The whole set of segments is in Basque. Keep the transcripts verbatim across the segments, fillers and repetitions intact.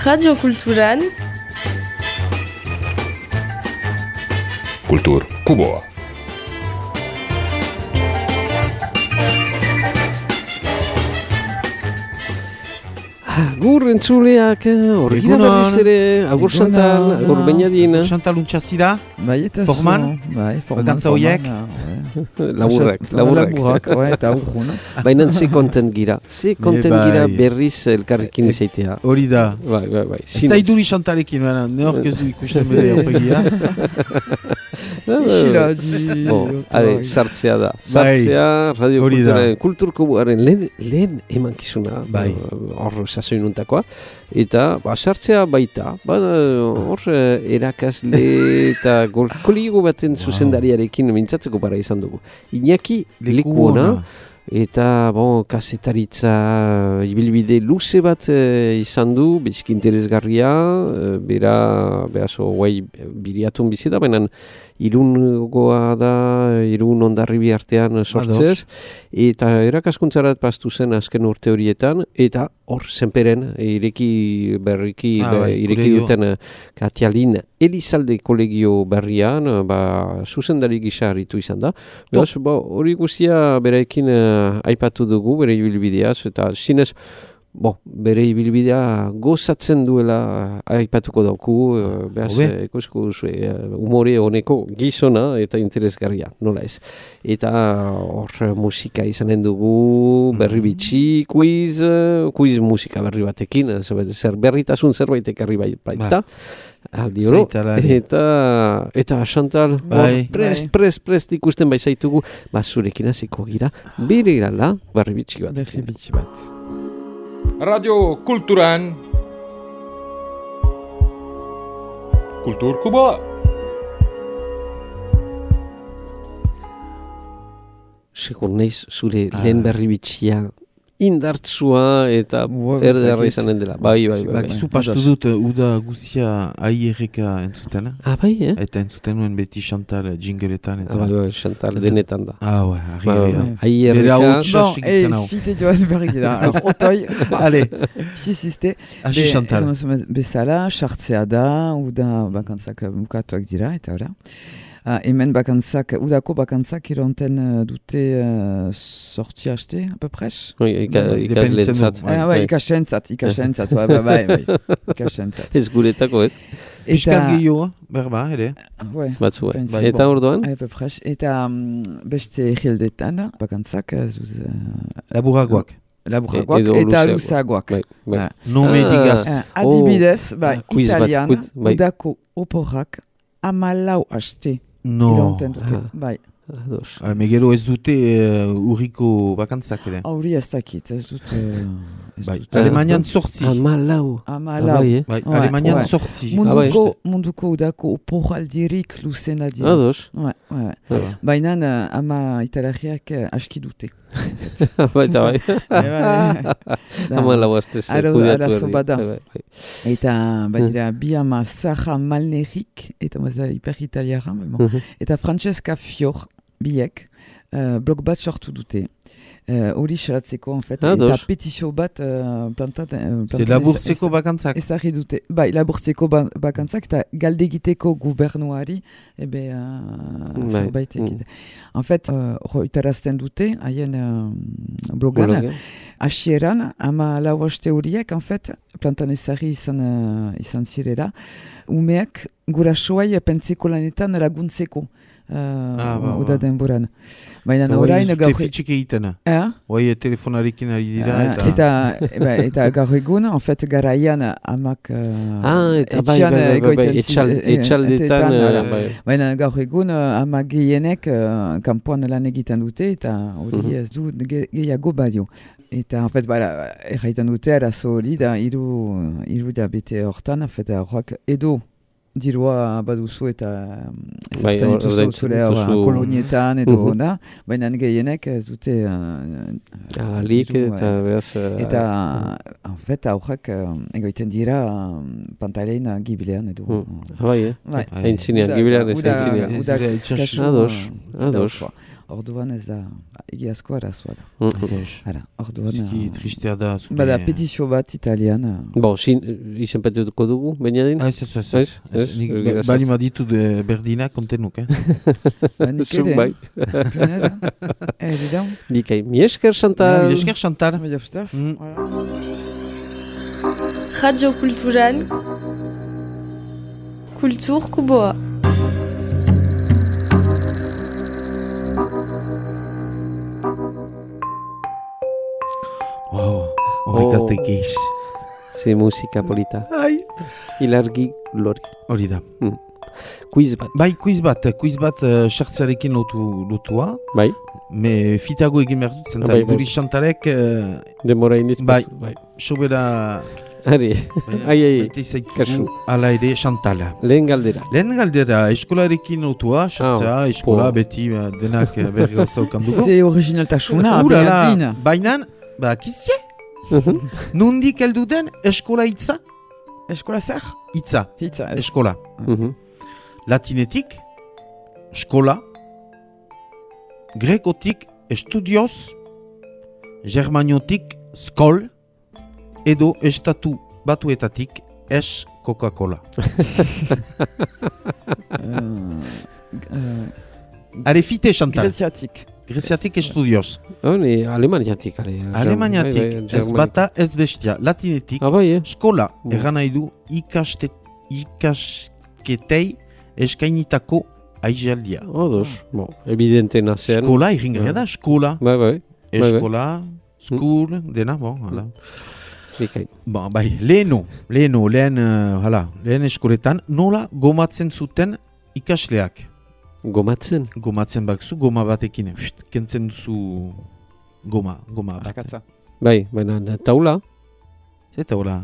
Radio Kulturan Kultur Kuboa. Agur entzuleak, horregira berriz ere, agur Chantal, agur Beñadin. Chantal untxazira, bai, eta forman, bai, forman, bakantza horiek. Laburrak, laburrak. Laburrak, eta aurrun. Baina ze kontent gira, ze kontent bai. gira berriz elkarrekin izaitea. Hori da. Bai, bai, bai. Zaiduri Chantalekin, baina, neork ez du ikusten bere aurpegia. Isila di... Bon, ale, sartzea da. Sartzea, Radio Kulturaren, Kulturkuboaren lehen, lehen emankizuna. Bai. Hor, sasoinuntakoa. Eta, ba, sartzea baita. Ba, hor, erakasle eta kolego baten zuzendariarekin mintzatzeko para izan dugu. Iñaki Lekuona. Eta, bon, kasetaritza ibilbide luze bat e, izan du, biziki interesgarria, e, bera, behazo, guai, biriatun bizi da, baina Irungoa da, Irun Hondarribi artean sortzez, eta erakaskuntzarat pastu zen azken urte horietan, eta hor, zenperen, ireki berriki, ah, be, bai, ireki kolegio. duten Katialin Elizalde kolegio berrian, ba, zuzendari gisa harritu izan da. Beraz, ba, hori guztia berekin uh, aipatu dugu, bere ibilbideaz, eta zinez, bo, bere ibilbidea gozatzen duela uh, aipatuko dauku, uh, behaz, uh, ikusko uh, umore honeko gizona eta interesgarria, nola ez. Eta hor musika izanen dugu, berri bitxi, quiz, uh, quiz musika berri batekin, zer berritasun zerbait ekarri baita. Aldi oro, eta, eta Chantal, bai. prest, prest, prest ikusten bai zaitugu, ba, zurekin hasiko gira, bere irala, barri bitxi bat. Berri bitxi bat. Radio Kulturan Kultur Kuboa. Segur naiz, zure ah. lehen berri bitxia indartsua eta erderra izanen dela. Bai, bai, bai. Bakizu pastu dut uda guzia aierreka entzutena. Ah, bai, eh? Eta entzuten nuen beti Chantal jingletan. Ah, bai, bai, Chantal denetan da. Ah, bai, argi. Aierreka. Bon, e, fite joaz berri gira. Alors, otoi. Allez. Xiziste. Hasi Chantal. Bezala, sartzea da, uda bakantzak bukatuak dira, eta ora. Uh, hemen bakantzak, udako bakantzak ironten uh, dute uh, sorti haste, a peu près? Oui, ikaslentzat. Ikasentzat, ikasentzat, bai, bai, bai, ikasentzat. Ez guretako, ez? Piskat gehiago, berba, ere? Batzu, bai. Eta orduan? A peu près, eta beste egildetan, bakantzak, zuz... Laburagoak. Laburagoak eta luzagoak. Nome digaz. Adibidez, italian, udako oporrak, amalau haste. No. Ironten dute, bai. Ah, Megero ez dute uh, urriko bakantzak ere? Auri ez dakit, ez dute... Ez bai. dute. Alemanian sortzi. Amalau. Amalau. Ah, bai, eh? Bai, Alemanian ouais. sortzi. Munduko, ah, munduko udako oporaldirik luzena dira. Ados. Ouais, ouais. Ah, baina uh, ama italiak uh, aski dute. Baita bai. Amalau hastez. Arazo bada. Eta badira bi ama Sara Malnerik, eta maza hiper italiara, eta Francesca Fior, biek, uh, blog bat sortu dute. Hori uh, xalatzeko, en fait, ah, eta petizio bat uh, plantat... Uh, C'est laburtzeko bakantzak. Ezarri dute. Bai, laburtzeko ba bakantzak, eta galdegiteko gubernuari, ebe, uh, zerbait egite. Mm. En fait, uh, itarazten dute, haien uh, blogan, okay. Asieran, ama lau haste horiek, en fait, plantan ezarri izan, uh, izan zirela, umeak gurasoai pentseko lanetan laguntzeko. Uh, ah, ba, uda denboran. Baina orain gaur... Eta fitxik egitena. Eh? Hoi telefonarekin ari dira. Uh, eta eta, eta gaur egun, en fait, garaian amak uh, ah, eta bai, bai, bai, bai, etxaldetan. Baina gaur egun amak gehienek uh, kanpoan lan egiten dute, eta hori uh-huh. ez du gehiago badio. Eta, en fait, bara, erraiten dute, arazo hori da, iru, iru da bete hortan, en fait, horrak edo dirua baduzu eta ezartzen dituzu zure kolonietan edo da, baina gehienek ez dute alik eta beraz... Eta, en fait, aurrak egoiten dira pantalein gibilean edo... Bai, eh? Hain zinean, gibilean ez hain zinean. Udak kasu... Ados, ados. orduan ez da, egiazko arazoa da. Hala, orduan... Ziki tristea da. Bada, petizio bat italian. Bo, izenpetuko dugu, Benjadin? Ez, ez, ez. ez. Bali ma ditu berdina kontenuk, eh? Zuk bai. Evident. Bikain, mi esker, Chantal. Mi esker, Chantal. Radio Kulturan, Kultur Kuboa. Wow, horrikatek eiz. Ze musika polita. Ai. Ilargi lori. Hori da. Mm. Quiz bat. Bai, quiz bat. Quiz bat uh, sartzarekin lotu, lotua. Bai. Me fitago egin behar dut, zenta bai, guri Chantalek... Uh, Demora iniz. Bai, bai. sobera... Ari, ai, ai, kasu. Ala ere Chantala. Lehen galdera. Lehen galdera, eskolarekin lotua, sartzea, ah, eskola, po. Beti uh, denak uh, berri gauzaukan dugu. Ze originaltasuna, behatin. Baina, ba, kizie? Nundik heldu den eskola hitza? Eskola zer? Hitza. Hitza. Eskola. Uh-huh. Latinetik, eskola, grekotik, estudioz, germaniotik, skol, edo estatu batuetatik, es Coca-Cola. Are fite, Chantal. Greziatik. Greziatik estudioz. Hone, alemaniatik. Alemaniatik, ez bata ez bestia. Latinetik, ah, bai, eh? Skola, mm. erran nahi du ikaste, ikasketei eskainitako aijaldia. Odos, bo, evidente nazen. Skola, irringaria da, skola. Bai, bai. Eskola, school, mm. dena, bon, hala. Bikain. Bon, bai, leheno, leheno, lehen, uh, hala, lehen eskoletan, nola gomatzen zuten ikasleak? Gomatzen? Gomatzen bakzu, goma batekin, pst, kentzen duzu goma, goma bat. Akatza. Bai, baina taula? Ze taula?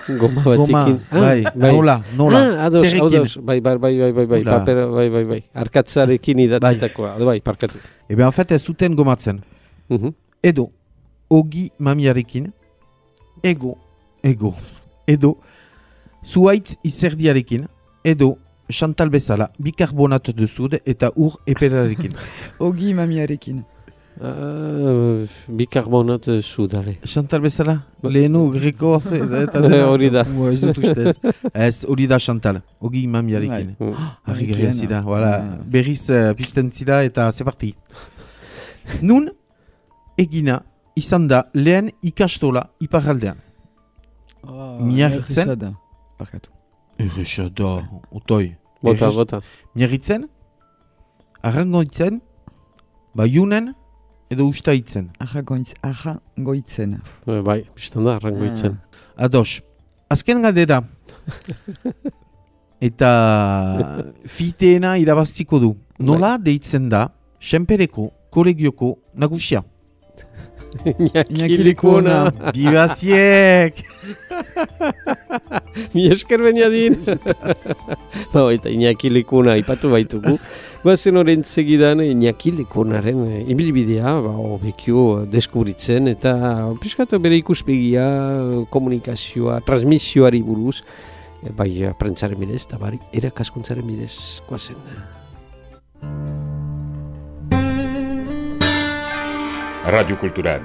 Goma batekin. Goma, bai, bai, nola, nola, ah, ados, ados, bai, bai, bai, bai, bai, bai, paper, bai, bai, bai, arkatzarekin idatzitakoa, bai, parkatu. Ebe, en fait, ez zuten gomatzen. Uh-huh. Edo, ogi mamiarekin, ego, ego, edo, zuaitz izerdiarekin, edo, Chantal bezala, bikarbonat duzud eta ur eperarekin. Ogi mamiarekin. Uh, bikarbonat sudare. Chantal bezala, lehenu greko eta hori da. Ez dut ustez. Ez, hori da Chantal, ogi mamiarekin. Harri garen zida, berriz uh, pizten zida eta zeparti. Nun, egina, izan da lehen ikastola iparraldean. Oh, Miarritzen. Errexada. Parkatu. Errexada, otoi. Bota, bota. Miarritzen, arrangoitzen, baiunen, edo ustaitzen. Arrangoitzen. Bai, biztan da, arrangoitzen. Ah. Ados, azken galdera. Eta fiteena irabaztiko du. Nola deitzen da, senpereko, kolegioko, nagusia? Iñaki Likuna. Bibaziek! Mi esker Benjadin. No, eta Iñaki Likuna ipatu baitugu. Bazen horren segidan Iñaki Likunaren ibilbidea, ba, obekio deskubritzen eta piskatu bere ikuspegia, komunikazioa, transmisioari buruz, bai prentzaren bidez, eta bai erakaskuntzaren bidez, guazen. Radio Kulturan.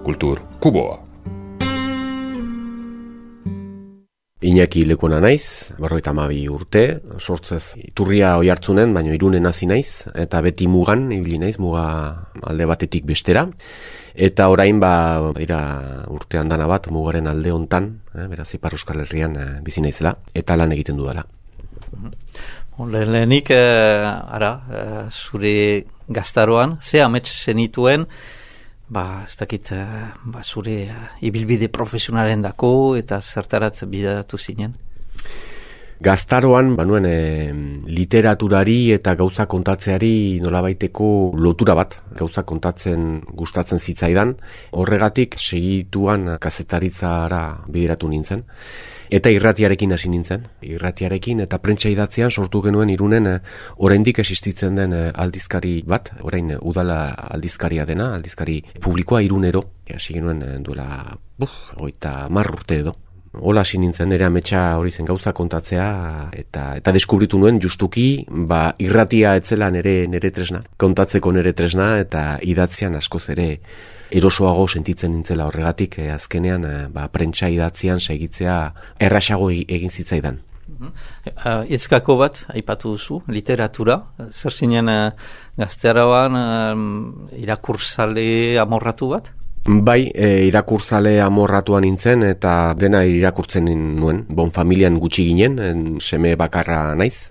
Kultur Kuboa. Iñaki Likuna naiz, berrogeita hamabi urte, sortzez Iturria Oiartzunen, baina Irunen hasi naiz, eta beti mugan, ibili naiz, muga alde batetik bestera. Eta orain ba dira urtean dana bat mugaren alde hontan, eh, beraz Ipar Euskal Herrian eh, bizi naizela eta lan egiten dudala. Lehenik, eh, ara, eh, zure gaztaroan, ze amets zenituen, ba, ez dakit, eh, ba, zure eh, ibilbide profesionalen dako eta zertarat bidatu zinen? Gaztaroan, banuen, e, literaturari eta gauza kontatzeari nolabaiteko lotura bat, gauza kontatzen gustatzen zitzaidan, horregatik segituan kazetaritzara bideratu nintzen. Eta irratiarekin hasi nintzen, irratiarekin eta prentsa idatzean sortu genuen Irunen e, oraindik existitzen den e, aldizkari bat, orain e, udala aldizkaria dena, aldizkari publikoa Irunero, hasi genuen e, duela, buf, hogeita hamar urte edo. Hola hasi nintzen, nire ametsa hori zen gauza kontatzea, eta eta deskubritu nuen justuki, ba, irratia etzela nire, nire tresna, kontatzeko nire tresna, eta idatzian askoz ere erosoago sentitzen nintzela horregatik, eh, azkenean eh, ba, prentsa idatzian saigitzea errasago egin zitzaidan. Uh, Itzkako bat, aipatu duzu, literatura, zer zinen uh, gaztearaban um, irakurzale amorratu bat? Bai, e, irakurzale amorratuan nintzen eta dena irakurtzen nuen. Bon familian gutxi ginen, en, seme bakarra naiz.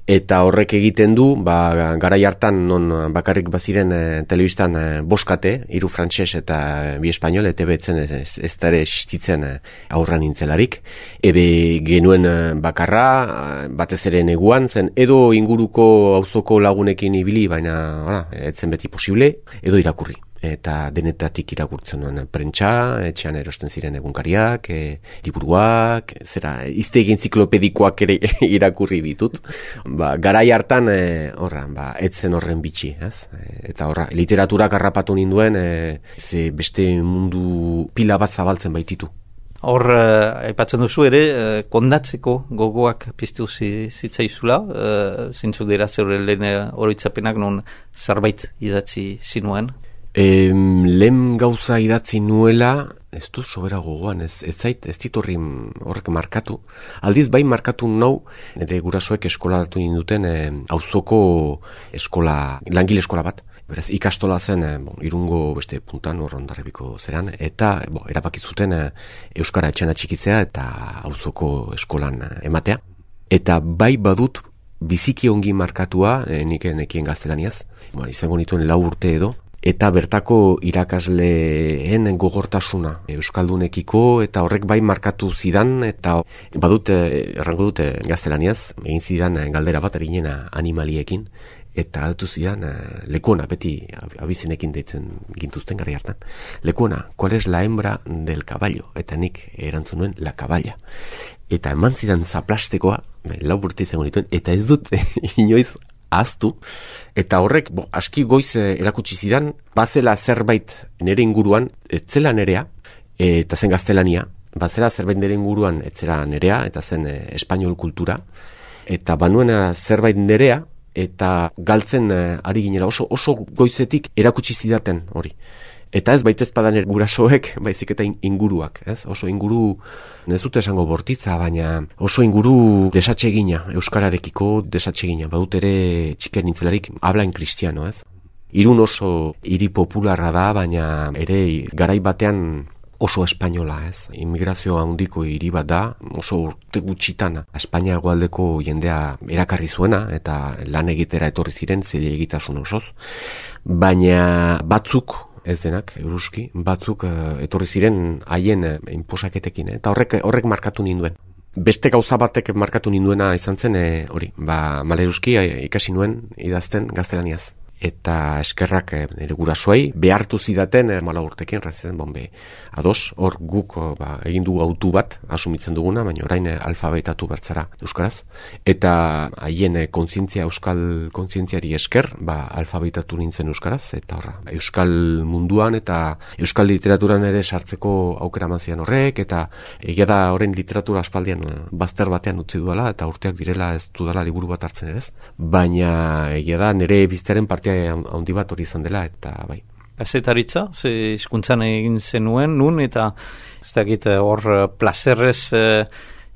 Eta horrek egiten du, ba, garai hartan non bakarrik baziren e, telebistan e, boskate, hiru frantses eta bi espainol, eta betzen ez, ez da ere existitzen e, aurra nintzelarik. Ebe genuen e, bakarra, batez ere neguan zen, edo inguruko auzoko lagunekin ibili, baina ora, etzen beti posible, edo irakurri. Eta denetatik irakurtzen nuen prentsa, etxean erosten ziren egunkariak, e, liburuak, zera, iztegi enziklopedikoak ere irakurri ditut. Ba, garai hartan, e, horra, ba, etzen horren bitxi, ez? Eta horra, literaturak harrapatu ninduen, e, ze beste mundu pila bat zabaltzen baititu. Hor, uh, aipatzen duzu ere, uh, kondatzeko gogoak piztu zitzaizula, uh, zintzuk dira zeure lehen oroitzapenak non zerbait idatzi zinuen. E, lehen gauza idatzi nuela, ez du sobera gogoan, ez, ez zait, ez ditorri horrek markatu. Aldiz bai markatu nau, nire gurasoek eskolaratu ninduten e, auzoko eskola, langile eskola bat. Beraz, ikastola zen, e, bon, irungo beste puntan, hor ondarribiko zeran, eta bon, erabaki zuten e, euskara etxena txikitzea eta auzoko eskolan e, ematea. Eta bai badut biziki ongi markatua, e, nik nekien gaztelaniaz, bon, izango nituen lau urte edo, eta bertako irakasleen gogortasuna euskaldunekiko, eta horrek bai markatu zidan, eta badut, errango dute gaztelaniaz, egin zidan galdera bat eginena animaliekin, eta altu zidan lekuona, beti abizenekin deitzen gintuzten gari hartan. Lekuona, ¿cuál es la hembra del caballo? Eta nik erantzun nuen, la caballa. Eta eman zidan zaplastekoa, lau urte izango nituen, eta ez dut inoiz aztu, eta horrek bo, aski goiz e, erakutsi zidan, bazela zerbait nere inguruan, etzela nerea, e, eta zen gaztelania, bazela zerbait nere inguruan, etzela nerea, eta zen e, espainol kultura, eta banuena zerbait nerea, eta galtzen e, ari ginela, oso, oso goizetik erakutsi zidaten hori. Eta ez baitez padan gurasoek, baizik eta inguruak, ez? Oso inguru, ez dut esango bortitza, baina oso inguru desatsegina, euskararekiko desatsegina. Badut ere txiken nintzelarik, habla en kristiano, ez? Irun oso hiri popularra da, baina ere garai batean oso espainola, ez? Immigrazio handiko hiri bat da, oso urte gutxitana. Espainia hegoaldeko jendea erakarri zuena, eta lan egitera etorri ziren, zile egitasun osoz. Baina batzuk, ez denak, euruski, batzuk uh, etorri ziren haien uh, inposaketekin, eh? Eta horrek, horrek markatu ninduen. Beste gauza batek markatu ninduena izan zen, eh, hori, ba, maleruski eh, ikasi nuen idazten gaztelaniaz. Eta eskerrak eh, nire gurasoei behartu zidaten eh, mala urtekin, razen, bombe, ados, hor guk oh, ba, egin dugu autu bat, asumitzen duguna, baina orain eh, alfabetatu bertzara euskaraz. Eta haien eh, kontzientzia, euskal kontzientziari esker, ba, alfabetatu nintzen euskaraz, eta horra, euskal munduan eta euskal literaturan ere sartzeko aukera mazian horrek, eta egia da horren literatura aspaldian eh, bazter batean utzi duela, eta urteak direla ez dudala liburu bat hartzen ere ez. Baina egia da nire bizitaren partea handi bat hori izan dela, eta bai. Gazetaritza, ze hizkuntzan egin zenuen, nun, eta ez dakit hor plazerrez eh,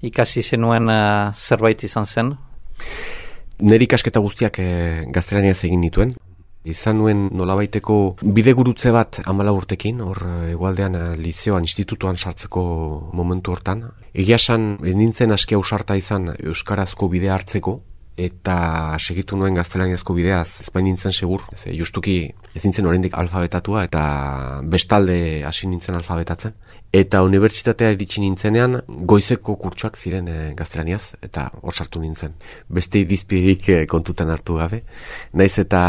ikasi zenuen eh, zerbait izan zen? Nire ikasketa guztiak eh, gaztelaniaz egin nituen. Izan nuen nolabaiteko bidegurutze bat hamala urtekin, hor egualdean lizeoan, institutuan sartzeko momentu hortan. Egia esan, nintzen aski ausarta izan euskarazko bidea hartzeko, eta segitu nuen gaztelaniazko bideaz, ez bain nintzen segur, ez, justuki ez nintzen oraindik alfabetatua, eta bestalde hasi nintzen alfabetatzen. Eta unibertsitatea iritsi nintzenean, goizeko kurtsoak ziren e, gaztelaniaz, eta hor sartu nintzen. Beste idizpirik e, kontutan hartu gabe. Naiz eta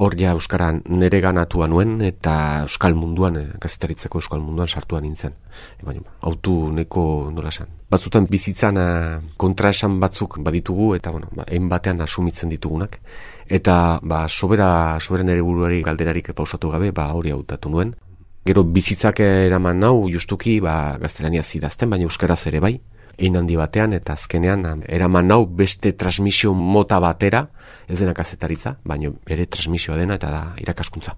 hor ja euskaran nere ganatua nuen, eta euskal munduan, e, gazetaritzeko euskal munduan sartua nintzen. E, baina, autu neko nola esan. Batzutan bizitzan e, kontraesan batzuk baditugu, eta bueno, ba, egin batean asumitzen ditugunak. Eta ba, sobera, sobera nere buruari galderarik pausatu gabe, ba, hori hautatu nuen. Gero bizitzak eraman nau justuki ba, gaztelaniaz idazten, baina euskaraz ere bai, egin handi batean, eta azkenean eraman nau beste transmisio mota batera, ez dena kazetaritza, baina ere transmisioa dena eta da irakaskuntza.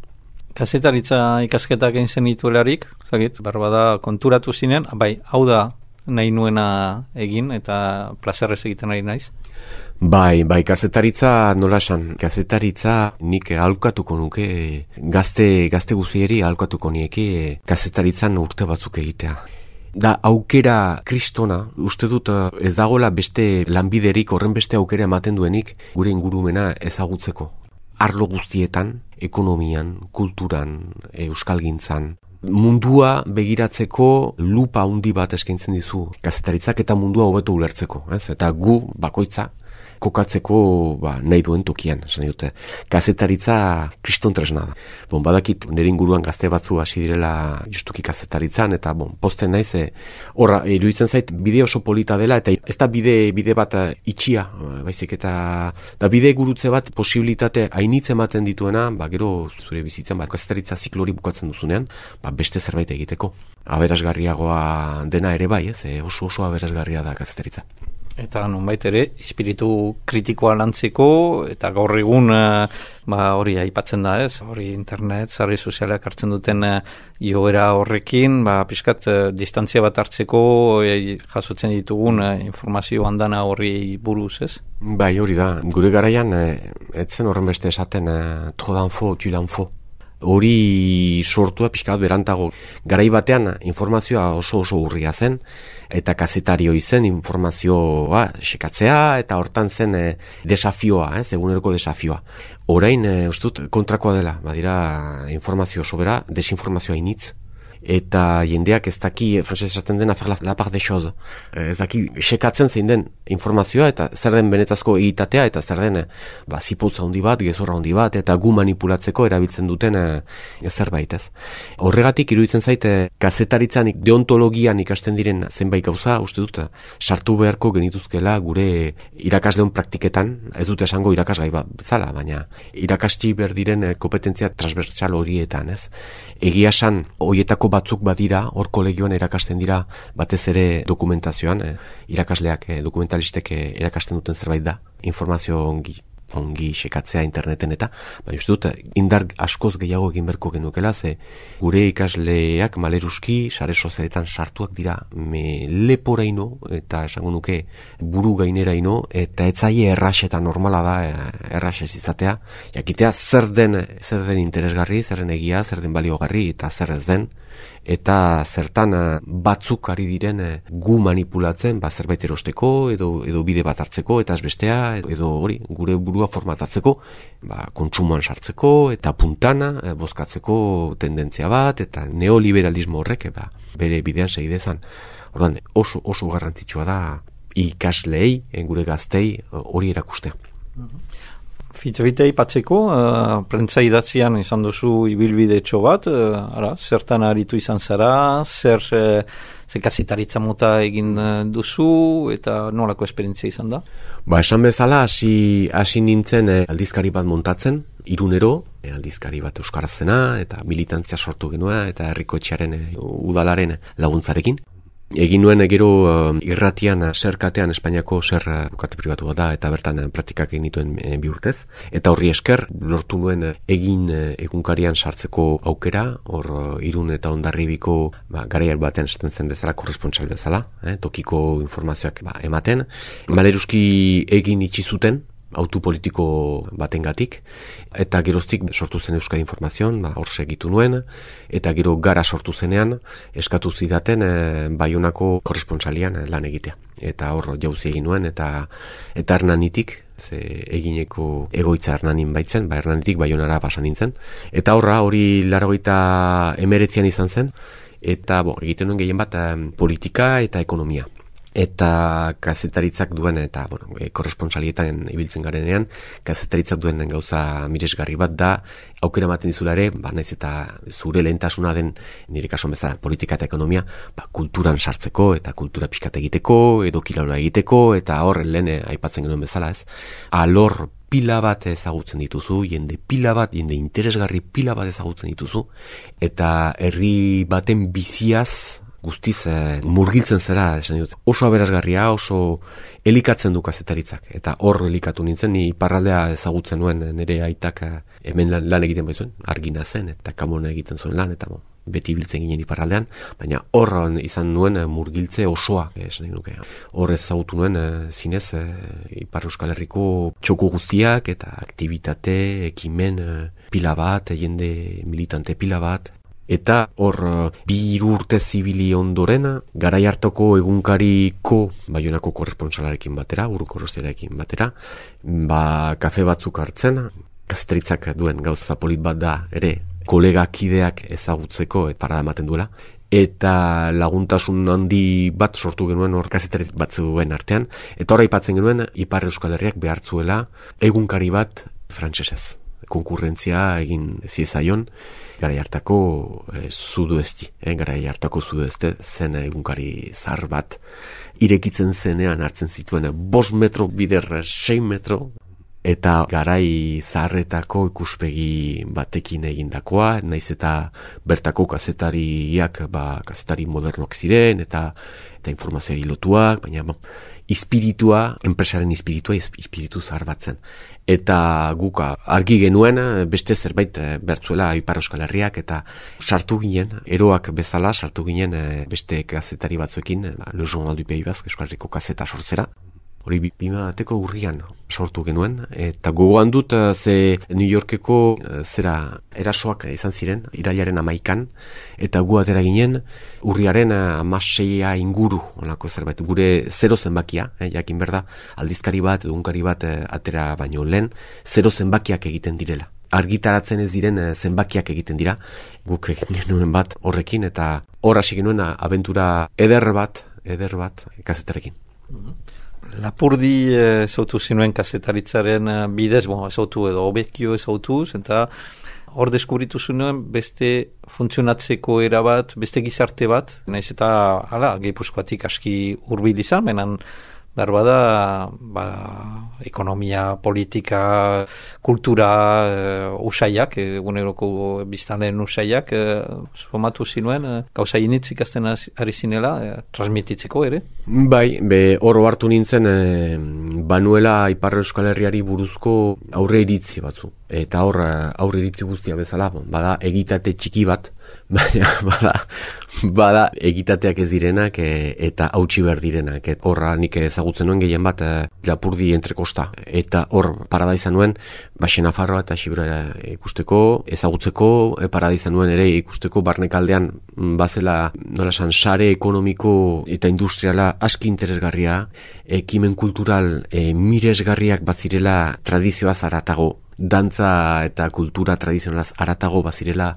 Kazetaritza ikasketak egin zenituelarik, zagit, barbada konturatu zinen, bai, hau da nahi nuena egin eta plazerrez egiten ari naiz? Bai, bai, kazetaritza nola esan, kazetaritza nik ahalkatuko nuke, gazte, gazte guzieri ahalkatuko nieke kazetaritzan urte batzuk egitea. Da aukera kristona, uste dut ez dagoela beste lanbiderik, horren beste aukera ematen duenik gure ingurumena ezagutzeko. Arlo guztietan, ekonomian, kulturan, euskalgintzan, mundua begiratzeko lupa handi bat eskaintzen dizu kazetaritzak eta mundua hobeto ulertzeko, ez? Eta gu bakoitza kokatzeko ba, nahi duen tokian, esan dute. Kazetaritza kriston tresna da. Bon, badakit nire inguruan gazte batzu hasi direla justuki kazetaritzan, eta bon, posten naiz, horra, e, iruditzen zait, bide oso polita dela, eta ez da bide, bide bat itxia, baizik, eta da bide gurutze bat posibilitate hainitz ematen dituena, ba, gero zure bizitzen, ba, kazetaritza ziklori bukatzen duzunean, ba, beste zerbait egiteko. Aberasgarriagoa dena ere bai, ez, e, oso oso aberasgarria da kazetaritza. Eta nonbait ere, espiritu kritikoa lantzeko, eta gaur egun ba, hori aipatzen da ez, hori internet, sare sozialak hartzen duten joera horrekin, ba, pixkat distantzia bat hartzeko e, jasotzen ditugun e, informazio handana horri buruz ez? Bai, hori da, gure garaian, e, etzen horren beste esaten, e, tro d'info, tu l'info. Hori sortua pixkat berantago. Garai batean informazioa oso oso urria zen, eta kazetario izen informazioa sekatzea, eta hortan zen e, desafioa, ez, eguneroko desafioa. Orain, e, ustut, kontrakoa dela, badira informazio sobera, desinformazioa initz, eta jendeak ez daki, frantzez esaten den, afer la, la part de chose. Ez daki, sekatzen zein den informazioa, eta zer den benetazko egitatea, eta zer den, ba, zipotza handi bat, gezurra handi bat, eta gu manipulatzeko erabiltzen duten e, zerbait ez. Horregatik, iruditzen zaite, kazetaritzan, deontologian ikasten diren zenbait gauza, uste dut, sartu beharko genituzkela gure irakasleon praktiketan, ez dute esango irakasgai bat bezala, baina irakasti behar diren kompetentzia transversal horietan, ez. Egia esan, horietako batzuk badira, hor kolegioan erakasten dira, batez ere dokumentazioan, eh, irakasleak, eh, dokumentalistek eh, erakasten duten zerbait da, informazio ongi, ongi sekatzea interneten eta, baina uste dut, indar askoz gehiago egin berko genukela, ze gure ikasleak maleruski, sare sozialetan sartuak dira, me leporaino, eta esango nuke buru gaineraino, eta etzaie errax eta normala da errax ez izatea, jakitea zer den, zer den interesgarri, zer den egia, zer den baliogarri, eta zer ez den, eta zertan batzuk ari diren gu manipulatzen, ba, zerbait erosteko, edo, edo bide bat hartzeko, eta ez bestea, edo hori, gure burua formatatzeko, ba, kontsumoan sartzeko, eta puntana, e, bozkatzeko tendentzia bat, eta neoliberalismo horrek, ba, bere bidean segidezan. Ordan, oso, oso garrantzitsua da ikasleei, gure gaztei, hori erakustea. Fite-fite ipatzeko, uh, prentza idatzian izan duzu ibilbide etxo bat, uh, ara, zertan aritu izan zara, zer, uh, zer kazetaritza mota egin duzu, eta nolako esperientzia izan da? Ba, esan bezala, hasi hasi nintzen eh, aldizkari bat montatzen, Irunero, eh, aldizkari bat euskarazena, eta militantzia sortu genua, eta herriko etxearen eh, udalaren laguntzarekin. Egin nuen gero uh, irratian zerkatean Espainiako zer bukate pribatu bat da, eta bertan uh, praktikak egin dituen uh, bi urtez. Eta horri esker, lortu nuen uh, egin uh, egunkarian sartzeko aukera, hor uh, Irun eta Hondarribiko ba, garaiar batean esaten zen bezala, korresponsal bezala, eh, tokiko informazioak ba, ematen. Maleruski egin itxi zuten, autu politiko batengatik, eta geroztik sortu zen Euskadi Informazion, ba, hor segitu nuen, eta gero gara sortu zenean, eskatu zidaten e, Baionako korresponsalian e, lan egitea. Eta hor jauzi egin nuen, eta eta Hernanitik, ze egineko egoitza Hernanin baitzen, ba Hernanitik Baionara pasa nintzen. Eta horra, hori laurogeita hemeretzian izan zen, eta bo, egiten nuen gehien bat e, politika eta ekonomia. Eta kazetaritzak duen, eta bueno, e, korresponsalietan ibiltzen garenean, kazetaritzak duen gauza miresgarri bat da, aukera ematen dizula ere, ba, naiz eta zure lehentasuna den, nire kasuan bezala, politika eta ekonomia, ba, kulturan sartzeko, eta kultura pixkat egiteko, edo kilaura egiteko, eta hor lehen aipatzen genuen bezala, ez? Alor pila bat ezagutzen dituzu, jende pila bat, jende interesgarri pila bat ezagutzen dituzu, eta herri baten biziaz guztiz eh, murgiltzen zera, esan dut. Oso aberasgarria, oso elikatzen du kazetaritzak. Eta hor elikatu nintzen, ni iparraldea ezagutzen nuen nire aitak hemen lan, lan egiten baizuen, Argina zen, eta Kamona egiten zuen lan, eta bo, beti biltzen ginen iparraldean, baina hor izan nuen murgiltze osoa, esan nuke. Hor ezagutu nuen zinez Ipar Euskal Herriko txoko guztiak, eta aktivitate, ekimen pila bat, jende militante pila bat, eta hor bi hiru urte zibili ondorena, garai hartako egunkariko Baionako korresponsalarekin batera, Uruko Rostiarekin batera, ba kafe batzuk hartzen, kazetaritzak duen gauza polit bat da ere, kolegakideak ezagutzeko et parada ematen duela, eta laguntasun handi bat sortu genuen hor kazetari batzuen artean, eta hor aipatzen genuen Ipar Euskal Herriak behartzuela egunkari bat frantsesez. Konkurrentzia egin ziezaion, garai hartako e, Sudoesti, eh, garai hartako Sudoeste zen egunkari zahar bat, irekitzen zenean hartzen zituen bost metro bider sei metro, eta garai zaharretako ikuspegi batekin egindakoa, naiz eta bertako kazetariak, ba, kazetari modernok ziren, eta eta informazioari lotuak, baina ba, ispiritua, enpresaren ispiritua, ispiritu zahar bat zen. Eta guk argi genuen beste zerbait bertzuela Ipar Euskal Herriak, eta sartu ginen, eroak bezala sartu ginen beste kazetari batzuekin, Le Journal du Pays Basque, Euskal Herriko kazeta sortzera. Hori bima bateko urrian sortu genuen, eta gogoan dut ze New Yorkeko zera erasoak izan ziren, irailaren amaikan, eta gu atera ginen urriaren amaseia inguru, onako zerbait, gure zero zenbakia, eh, jakin berda, aldizkari bat, egunkari bat eh, atera baino lehen, zero zenbakiak egiten direla. Argitaratzen ez diren zenbakiak egiten dira, guk egin genuen bat horrekin, eta hor hasi genuen abentura eder bat, eder bat, kazetarekin. Lapurdi ezautu zinuen kazetaritzaren bidez, bon, ezautu edo obekio ezautuz, eta hor deskubritu zuen beste funtzionatzeko era bat, beste gizarte bat, naiz eta hala, Gipuzkoatik aski hurbil izan, menan behar bada, ba, ekonomia, politika, kultura, uh, usaiak, eguneroko biztanleen usaiak, uh, formatu zinuen, uh, gauza initz ikasten ari zinela, uh, transmititzeko ere? Bai, be hor hartu nintzen, eh, banuela Ipar Euskal Herriari buruzko aurre iritzi batzu. Eta hor aurre iritzi guztia bezala, bada egitate txiki bat, baina bada, bada egitateak ez direnak e, eta hautsi behar direnak. Et horra nik ezagutzen nuen gehien bat e, Lapurdi entrekosta. Eta hor parada izan nuen, Baxe Nafarroa eta Xibura ikusteko, ezagutzeko, e, parada izan nuen ere ikusteko barnekaldean bazela nola esan sare ekonomiko eta industriala aski interesgarria, ekimen kultural e, miresgarriak bazirela tradizioaz haratago, dantza eta kultura tradizionalaz haratago bazirela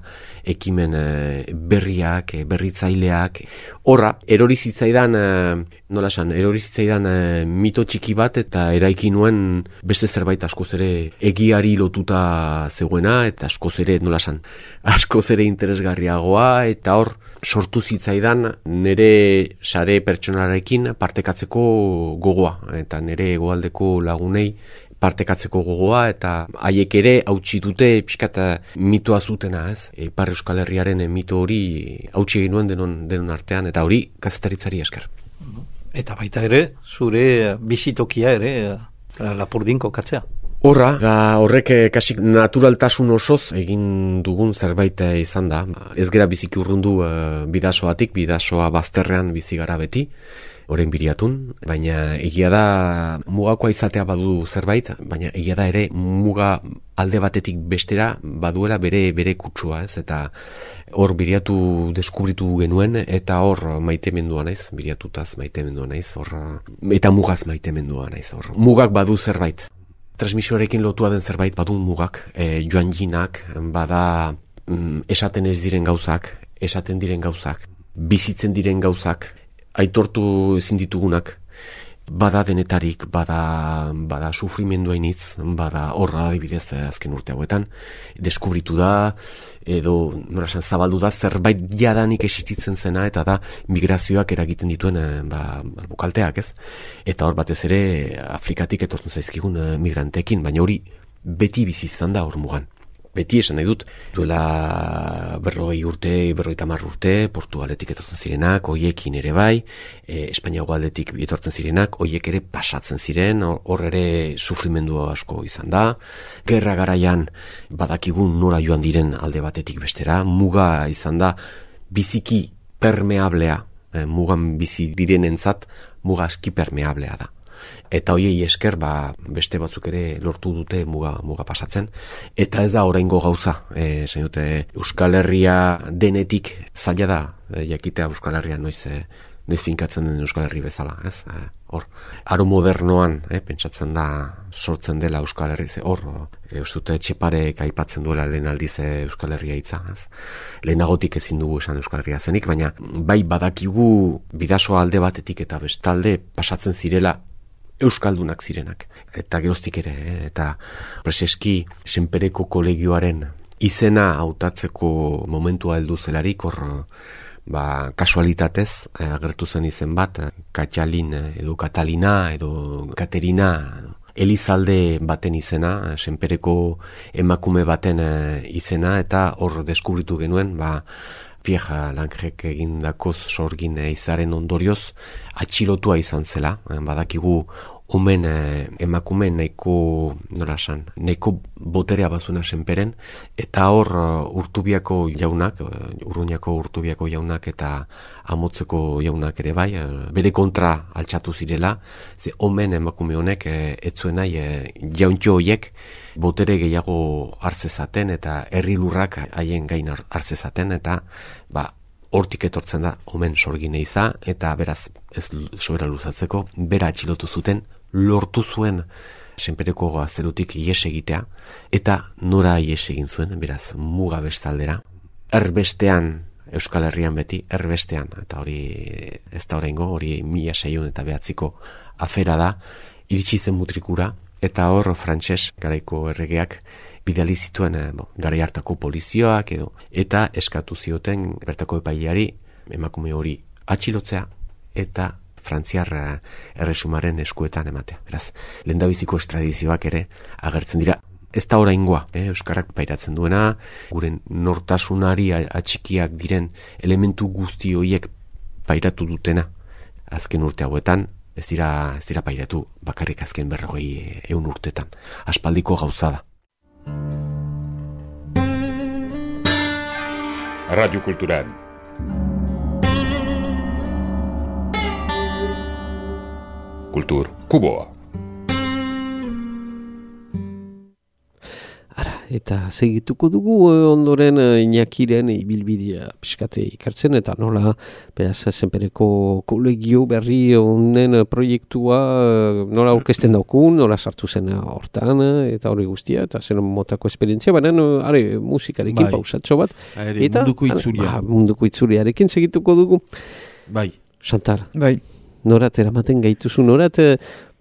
ekimen e, berriak, e, berritzaileak. Horra, erori zitzaidan, e, nola esan, erori zitzaidan e, mito txiki bat eta eraiki nuen beste zerbait askoz ere egiari lotuta zegoena eta askoz ere, nola esan, askoz ere interesgarriagoa, eta hor sortu zitzaidan nire sare pertsonalarekin partekatzeko gogoa, eta nire hegoaldeko lagunei partekatzeko gogoa, eta haiek ere hautsi dute pixkat mitoa zutena, ez? Ipar Euskal Herriaren mito hori hautsi egin nuen denon, denon artean, eta hori kazetaritzari esker. Eta baita ere, zure bizitokia ere Lapurdin kokatzea. Horra, horrek kasik naturaltasun osoz egin dugun zerbait izan da. Ez gera biziki urrundu bidasoatik, bidasoa bazterrean bizi gara beti, orain biriatun, baina egia da mugakoa izatea badu zerbait, baina egia da ere muga alde batetik bestera baduela bere bere kutsua, ez? Eta hor biriatu deskubritu genuen, eta hor maitemendua naiz, biriatutaz maitemendua naiz, hor, eta mugaz maitemendua naiz, hor. Mugak badu zerbait. Transmisioarekin lotua den zerbait badu mugak, e, joan jinak, bada mm, esaten ez diren gauzak, esaten diren gauzak, bizitzen diren gauzak, aitortu ezin ditugunak, bada denetarik, bada, bada sufrimendu hainitz, bada horra adibidez azken urte hauetan, deskubritu da, edo norasan zabaldu da zerbait jadanik existitzen zena, eta da migrazioak eragiten dituen ba, bukalteak, ez? Eta hor batez ere Afrikatik etortzen zaizkigun migranteekin, baina hori beti bizi izan da hor mugan. Beti esan nahi dut, duela berrogei urte, berrogeita hamar urte, Portugaletik etortzen zirenak, hoiekin ere bai, e, Espainiago aldetik etortzen zirenak, hoiek ere pasatzen ziren, hor ere sufrimendu asko izan da. Gerra garaian badakigun nora joan diren alde batetik bestera, muga izan da biziki permeablea, e, mugan bizi direnentzat muga aski permeablea da. Eta hoiei esker ba, beste batzuk ere lortu dute muga, muga pasatzen. Eta ez da oraingo gauza. E, dute, Euskal Herria denetik zaila da, e, jakitea Euskal Herria noiz, e, noiz finkatzen den Euskal Herri bezala. Ez? E, hor, aro modernoan, e, pentsatzen da sortzen dela Euskal Herri. Ze, hor, e, dute, Txeparek aipatzen duela lehen aldiz Euskal Herria hitza. Ez? Lehenagotik ezin dugu esan Euskal Herria zenik, baina bai badakigu bidasoa alde batetik eta bestalde pasatzen zirela euskaldunak zirenak. Eta geroztik ere, eh? Eta preseski Senpereko kolegioaren izena hautatzeko momentua heldu zelarik, hor ba, kasualitatez eh, agertu zen izen bat, Katxalin edo Katalina edo Katerina Elizalde baten izena, Senpereko emakume baten eh, izena, eta hor deskubritu genuen, ba, Pierre Langrek egindako sorgin izaren ondorioz atxilotua izan zela. Badakigu omen eh, emakume nahiko, nola esan, nahiko boterea bazuna Senperen, eta hor uh, Urtubiako jaunak, uh, Urruñako Urtubiako jaunak eta Amotzeko jaunak ere bai, uh, bere kontra altxatu zirela, ze omen emakume honek eh, etzuen nahi eh, jauntxo hoiek botere gehiago hartzezaten eta herri lurrak haien gain hartzezaten, eta ba, hortik etortzen da omen sorgine iza, eta beraz ez sobera luzatzeko, bera atxilotu zuten, lortu zuen Senpereko gaztelutik ies egitea, eta nora ies egin zuen, beraz muga bestaldera, erbestean Euskal Herrian beti, erbestean, eta hori ez da oraingo, hori mila seiehun eta behatziko afera da, iritsi zen Mutrikura, eta hor frantses garaiko erregeak bidali zituen eh, bo, garai hartako polizioak edo, eta eskatu zioten bertako epaileari emakume hori atxilotzea eta frantziar erresumaren eskuetan ematea. Beraz, lehendabiziko estradizioak ere agertzen dira. Ez da oraingoa, eh, Euskarak pairatzen duena, gure nortasunari atxikiak diren elementu guzti horiek pairatu dutena azken urte hauetan, ez dira, ez dira pairatu bakarrik azken berrogei eun urtetan. Aspaldiko gauza da. Radio Cultural. Kultur Kuboa. Ara, eta segituko dugu ondoren Iñakiren ibilbidea pixkate ikartzen, eta nola, beraz, Senpereko kolegio berri honen proiektua nola aurkezten daukun, nola sartu zen hortan, eta hori guztia, eta zen motako esperientzia, baina, are, musikarekin bai. Pausatxo bat. Are, eta munduko itzulia. Ba, munduko itzuliarekin segituko dugu. Bai. Chantal. Bai. Norat eramaten gaituzu, norat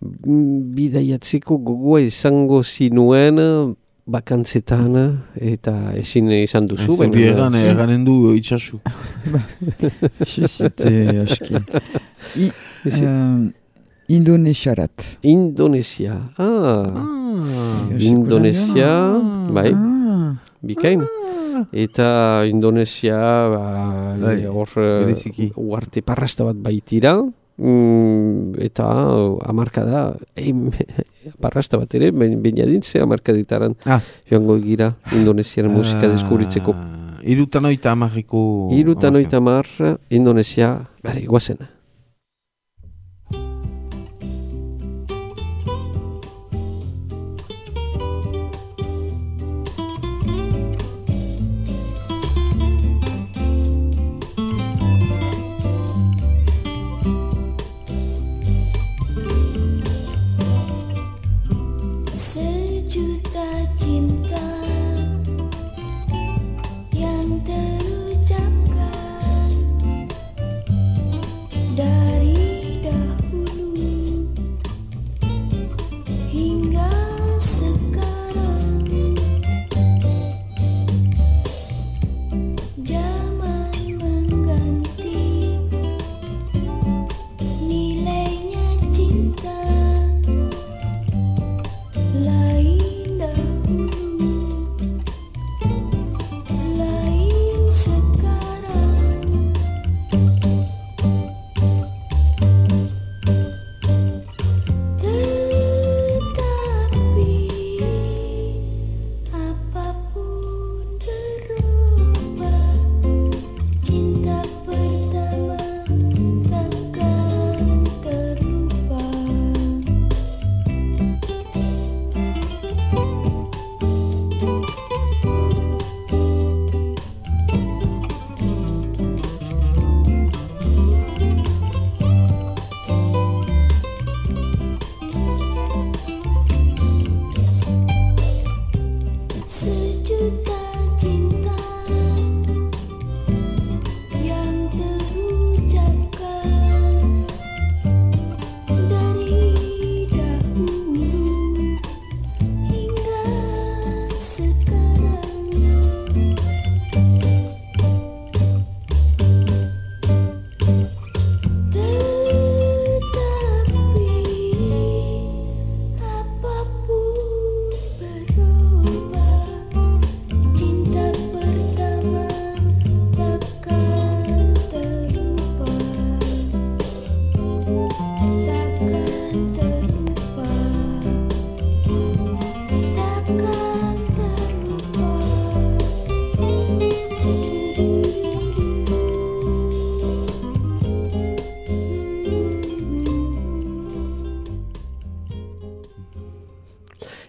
bidaiatzeko gogoa izango zinuen bakantzetan, eta ezin izan duzu. Zuri egan, eganen du itxasu. Xizite aski. Indonesiarat. Indonesia. Ah. Indonesia, bai. Bikain. Eta Indonesia, hor, uarte parrasta bat baitira. Mm, eta amarka da parrasta bat ere bainadintze amarkaditaran ah. joango gira Indonesian musika ah. deskubritzeko irutan oita amarriko irutan oita amar Indonesia bari guazen.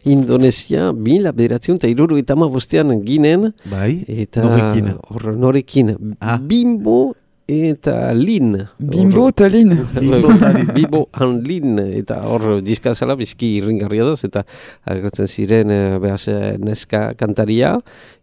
Indonesia, mila bederatzen eta iruru eta bostean ginen. Bai, eta norekin. Hor, norekin. Ah. Bimbo eta Lin. Bimbo eta Lin. Bimbo and Lin. Eta hor diskazala bizki irringarria daz. Eta agertzen ziren behaz neska kantaria.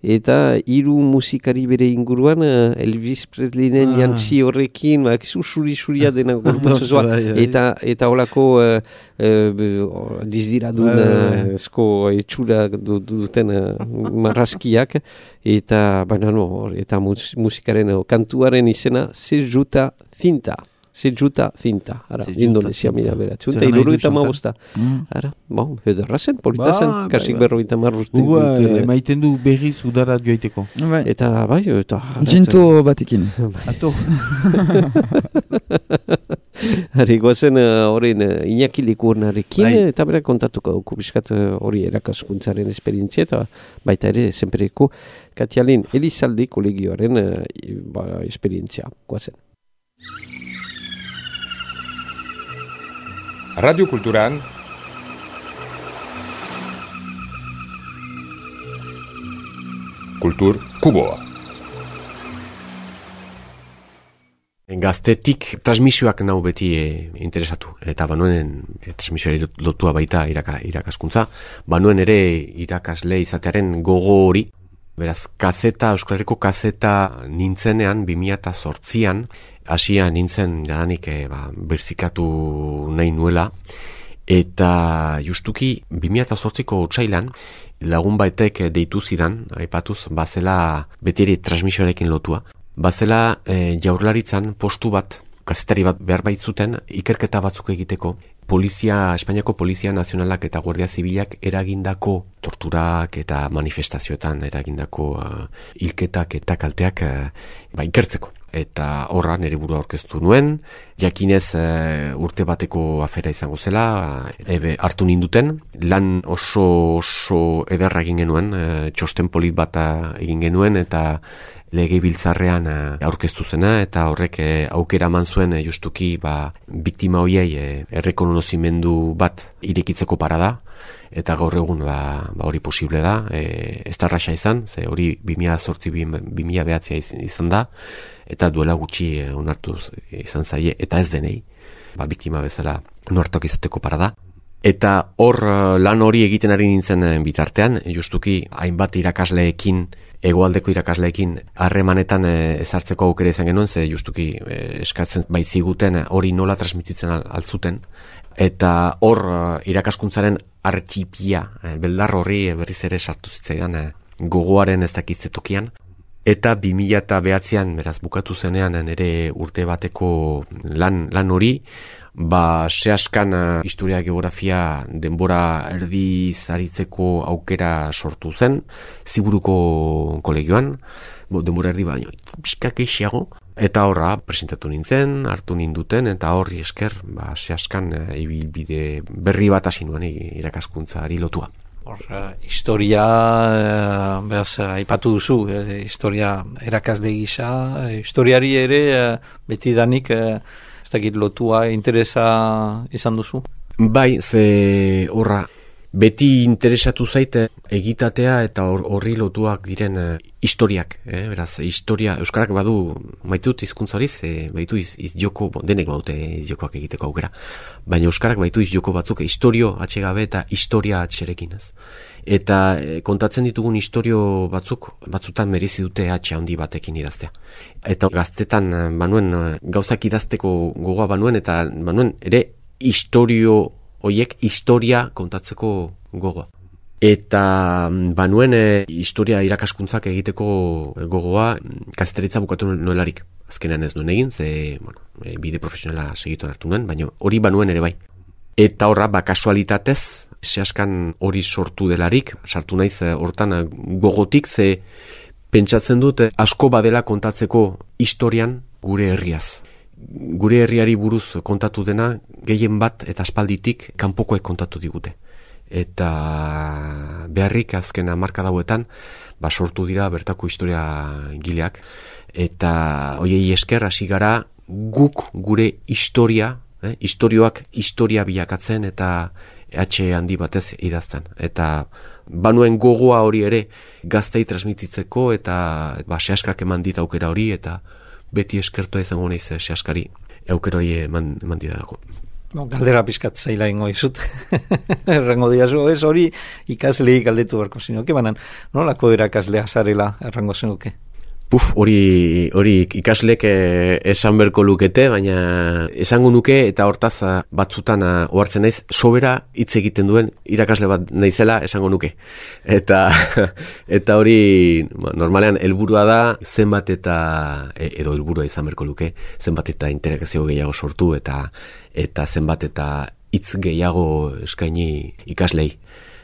Eta hiru musikari bere inguruan Elvis Presleynen ah. jantzi horrekin. Suri-suria dena gorputzua. eta eta holako uh, uh, dizdiradun uh, esko etxura duten uh, marraskiak. Eta baina no, eta mus, musikaren o, kantuaren izena Sejuta Cinta. Sejuta Cinta. Ara, Indonesia mila beratzu. Eta iruru eta mabosta. Ara, bon, ederra zen, polita zen. Ba, kasik berro eta marrurten. Uga, maiten du berriz udara joiteko. Eta bai, eta... Ginto batekin. Ato. Hari gozen horren uh, Iñaki Likurnarekin bai. Eta bera kontatuko dugu biskat hori uh, erakaskuntzaren esperientzia eta baita ere zenpereko Katialin Elizalde kolegioaren uh, ba, esperientzia. Goazen. Radio Kulturan Kultur Kuboa. Gaztetik transmisioak nau beti e, interesatu. Eta banuen e, transmisioari lotua baita iraka, irakaskuntza. Banuen ere irakasle izatearen gogo hori. Beraz, kazeta, Euskal Herriko kazeta nintzenean, bi mila zortzian, hasia nintzen jadanik e, ba, berzikatu nahi nuela. Eta justuki bi mila zortziko otsailan, lagun baitek deitu zidan, aipatuz, bazela beti ere transmisioarekin lotua. Bazela e, jaurlaritzan postu bat, kazetari bat behar baitzuten, ikerketa batzuk egiteko, polizia, Espainiako Polizia Nazionalak eta Guardia Zibilak eragindako torturak eta manifestazioetan eragindako uh, hilketak eta kalteak uh, ba, ikertzeko. Eta horra nire burua aurkeztu nuen, jakinez uh, urte bateko afera izango zela, uh, ebe hartu ninduten, lan oso oso ederra egin genuen, uh, txosten polit bat egin genuen, eta legebiltzarrean uh, aurkeztu zena, eta horrek uh, aukera eman zuen uh, justuki ba, biktima hoiei uh, errekonozimendu bat irekitzeko parada, eta gaur egun ba, ba hori posible da, e, ez da raxa izan, ze hori bi mila zortzi bi mila behatzia izan da, eta duela gutxi e, onartu izan zaie, eta ez denei, ba, biktima bezala onartuak izateko parada. Eta hor lan hori egiten ari nintzen bitartean, justuki hainbat irakasleekin, hegoaldeko irakasleekin harremanetan ezartzeko aukera izan genuen, ze justuki eskatzen baitziguten hori nola transmititzen altzuten, eta hor irakaskuntzaren artxipia, beldar horri berriz ere sartu zitzaidan gogoaren ez dakitzetokian. Eta bi mila behatzean, beraz bukatu zenean nire urte bateko lan, lan hori, ba sehaskan historia geografia denbora erdiz aritzeko aukera sortu zen, Ziburuko kolegioan, denbora erdi baino, pixkak eixiago, eta horra presentatu nintzen, hartu ninduten, eta horri esker, ba sehaskan ibilbide berri bat hasi nuen irakaskuntzari lotua. Hor, uh, historia, uh, behaz, uh, aipatu duzu, uh, historia erakasle gisa, uh, historiari ere uh, beti danik, uh, ez dakit lotua interesa izan duzu? Bai, ze horra, beti interesatu zaite egitatea eta horri lotuak diren uh, historiak, eh? Beraz, historia, euskarak badu, maitut hizkuntza hori, ze baitu iz, iz joko, bon, denek baute iz jokoak egiteko aukera, baina euskarak baitu iz joko batzuk, historio atxegabe eta historia atxerekin, ez? Eta e, kontatzen ditugun historio batzuk, batzutan merezi dute atxe handi batekin idaztea. Eta gaztetan, banuen, gauzak idazteko gogoa banuen, eta banuen ere historio hoiek historia kontatzeko gogoa. Eta banuen e, historia irakaskuntzak egiteko gogoa kazetaritza bukatu nuelarik. Azkenean ez nuen egin, ze bueno, e, bide profesionala segitu hartu nuen, baina hori banuen ere bai. Eta horra, ba, kasualitatez, sehaskan hori sortu delarik, sartu naiz hortan gogotik, ze pentsatzen dut asko badela kontatzeko historian gure herriaz. Gure herriari buruz kontatu dena, gehien bat eta aspalditik kanpokoek kontatu digute. Eta beharrik azken hamarkada hauetan ba sortu dira bertako historia gileak, eta hoiei esker hasi gara guk gure historia, eh, historioak historia bilakatzen eta H handi batez idazten. Eta banuen gogoa hori ere gaztei transmititzeko eta ba, sehaskak eman dit aukera hori eta beti eskertua izango naiz sehaskari aukera hori eman, eman didalako. No, galdera pizkat zaila ingo izut. Errango diazu, ez hori ikaslei galdetu beharko zinuke, banan nolako erakaslea zarela errango zinuke? Puf, hori, hori ikaslek eh, esan berko lukete, baina esango nuke eta hortaz batzutan ohartzen naiz sobera hitz egiten duen irakasle bat naizela esango nuke. Eta eta hori normalean helburua da zenbat eta edo helburua izan berko luke, zenbat eta interakzio gehiago sortu eta eta zenbat eta hitz gehiago eskaini ikaslei.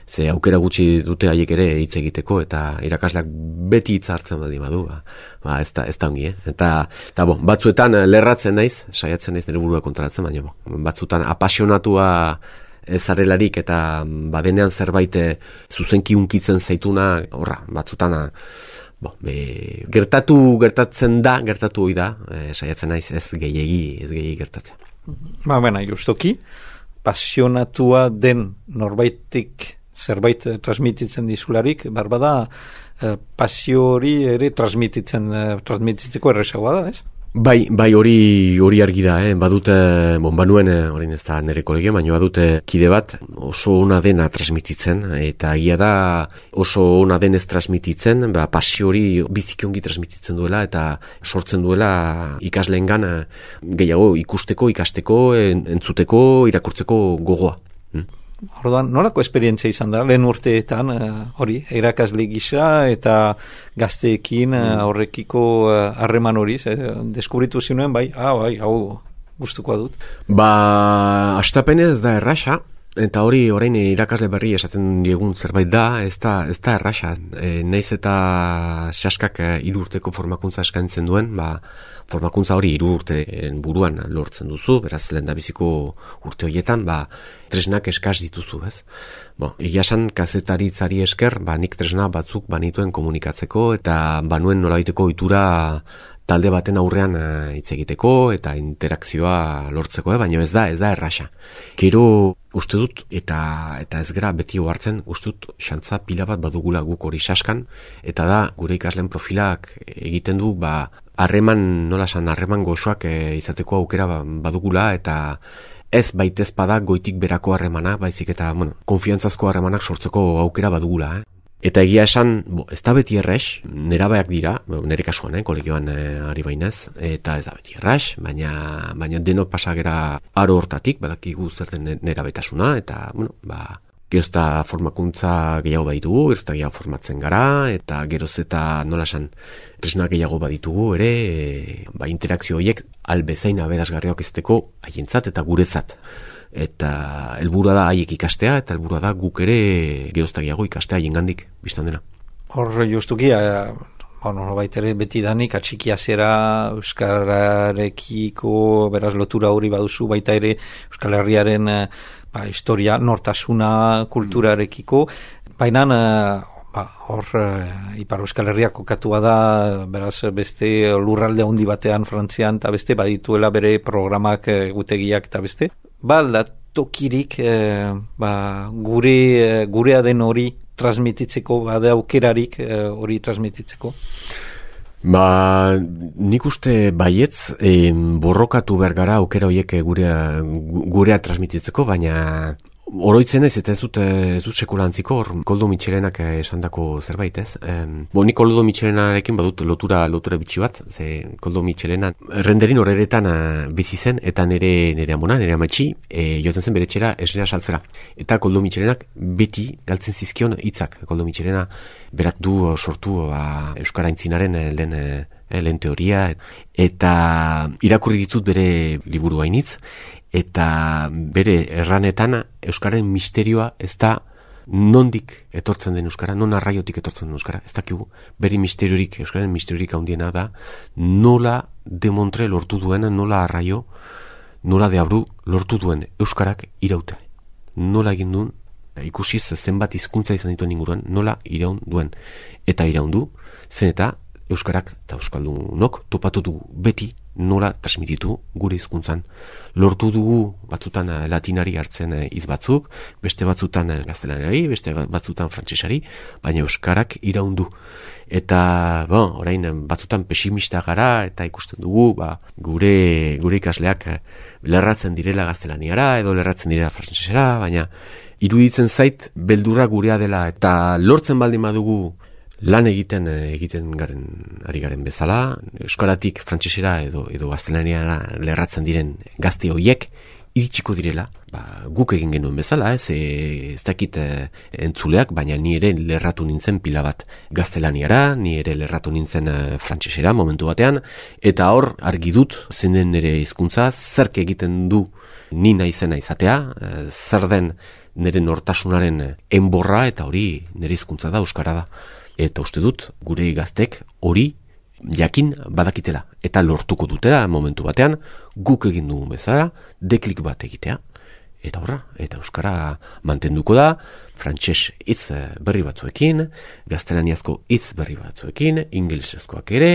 Ze aukera gutxi dute haiek ere hitz egiteko eta irakasleak beti hitz hartzen badi badu, ba, ba ez da ez da ongi, eh? Eta ta bon, batzuetan lerratzen naiz, saiatzen naiz nire burua kontrolatzen, baina bon, batzuetan apasionatua zarelarik eta badenean zerbait zuzenki hunkitzen zaituna, horra, batzuetan bon, be, gertatu gertatzen da, gertatu ohi da, e, saiatzen naiz ez gehiegi, ez gehiegi gertatzen. Ba, bena, justoki, pasionatua den norbaitik zerbait transmititzen dizularik, barbada eh, pasio hori ere transmititzen, eh, transmititzeko errezagoa da, ez? Bai, bai hori hori argi da, eh? Badute, bon, banuen, orain ez da nire kolegio, baina badute kide bat oso ona dena transmititzen, eta egia da oso ona denez transmititzen, ba, pasio hori biziki ongi transmititzen duela, eta sortzen duela ikasleengan gehiago ikusteko, ikasteko, entzuteko, irakurtzeko gogoa. Hm? Orduan, nolako esperientzia izan da, lehen urteetan hori, uh, irakasle gisa eta gazteekin uh, horrekiko harreman uh, hori, eh, deskubritu zinuen, bai, ah, bai, hau gustukoa dut. Ba, astapenez da erraxa, eta hori orain irakasle berri esaten diegun zerbait da, ez da, ez da erraxa. E, naiz eta sehaskak hiru urteko formakuntza eskaintzen duen, ba, formakuntza hori hiru urteen buruan lortzen duzu, beraz lehendabiziko urte horietan, ba, tresnak eskas dituzu, ez? Bo, egia esan kazetaritzari esker, ba, nik tresna batzuk banituen komunikatzeko, eta banuen nolabaiteko ohitura talde baten aurrean hitz egiteko eta interakzioa lortzeko, eh? Baina ez da, ez da erraxa. Gero uste dut, eta eta ez gara beti ohartzen, uste dut xantza pila bat badugula guk hori saskan, eta da gure ikasleen profilak egiten du, ba, harreman, nola san, harreman goxoak e, izateko aukera badugula, eta ez baitez bada goitik berako harremana, baizik eta, bueno, konfiantzazko harremanak sortzeko aukera badugula, eh? Eta egia esan, bo, ez da beti errex, nerabeak dira, nire kasuan, eh, kolegioan eh, ari bainez, eta ez da beti errex, baina, baina denok pasagera aro hortatik, badakigu zer den nerabetasuna, eta, bueno, ba, geroz eta formakuntza gehiago baditugu, geroz eta gehiago formatzen gara, eta geroz eta nola esan tresna gehiago baditugu, ere, e, ba, interakzio horiek albezain aberasgarriak izateko haientzat eta guretzat. Eta helburua da haiek ikastea, eta helburua da guk ere geroztagiago ikastea haiengandik biztan dena. Hor justuki, eh, bueno, baitere beti danik atxikia zera euskararekiko beraz lotura hori baduzu, baita ere Euskal Herriaren eh, ba, historia, nortasuna, kulturarekiko, baina eh, ba, hor eh, Ipar Euskal Herria kokatua da, beraz beste lurralde handi batean Frantzian, eta beste badituela bere programak egutegiak eta beste. Ba, tokirik eh, ba, gure, eh, gurea den hori transmititzeko, bade aukerarik eh, hori transmititzeko? Ba, nik uste baietz, eh, borrokatu behar gara aukera horiek gurea, gurea transmititzeko, baina oroitzen ez, eta ez dut, ez dut sekulantziko, hor Koldo Mitxelenak esandako zerbait, ez? Em, bo, nik Koldo Mitxelenarekin badut lotura, lotura bitxi bat, ze Koldo Mitxelena renderin horretan bizi zen, eta nire, nire amona, nire amatxi, e, jotzen zen bere txera esnera saltzera. Eta Koldo Mitxelenak beti galtzen zizkion hitzak. Koldo Mitxelena berak du sortu ba, Euskara Aintzinaren lehen, eh, lehen teoria, eta irakurri ditut bere liburu hainitz, eta bere erranetan Euskararen misterioa ez da nondik etortzen den Euskara, non arraiotik etortzen den Euskara, ez dakigu. Bere misteriorik, Euskararen misteriorik handiena da nola demontre lortu duen, nola arraio, nola deabru lortu duen Euskarak iraute. Nola egin duen, ikusiz zenbat hizkuntza izan dituen inguruan, nola iraun duen. Eta iraundu, zen eta Euskarak eta Euskaldunok topatu du beti nola transmititu gure hizkuntzan. Lortu dugu batzutan latinari hartzen hitz batzuk, beste batzutan gaztelaniari, beste batzutan frantsesari, baina euskarak iraundu. Eta, bon, orain batzutan pesimista gara eta ikusten dugu, ba, gure gure ikasleak lerratzen direla gaztelaniara edo lerratzen direla frantsesera, baina iruditzen zait beldurra gurea dela eta lortzen baldin badugu lan egiten egiten garen ari garen bezala, euskaratik frantsesera edo edo gaztelaniara lerratzen diren gazte hoiek iritsiko direla, ba, guk egin genuen bezala, ez, e, ez dakit e, entzuleak, baina ni ere lerratu nintzen pila bat gaztelaniara, ni ere lerratu nintzen e, frantsesera momentu batean, eta hor argi dut zein den nire hizkuntza, zerk egiten du ni naizena izatea, e, zer den nire nortasunaren enborra, eta hori nire hizkuntza da, euskara da. Eta uste dut, gure gaztek hori jakin badakitela. Eta lortuko dutela momentu batean, guk egin dugun bezala, deklik bat egitea. Eta horra, eta euskara mantenduko da, frantses hitz berri batzuekin, gaztelaniazko hitz berri batzuekin, ingelesezkoak ere,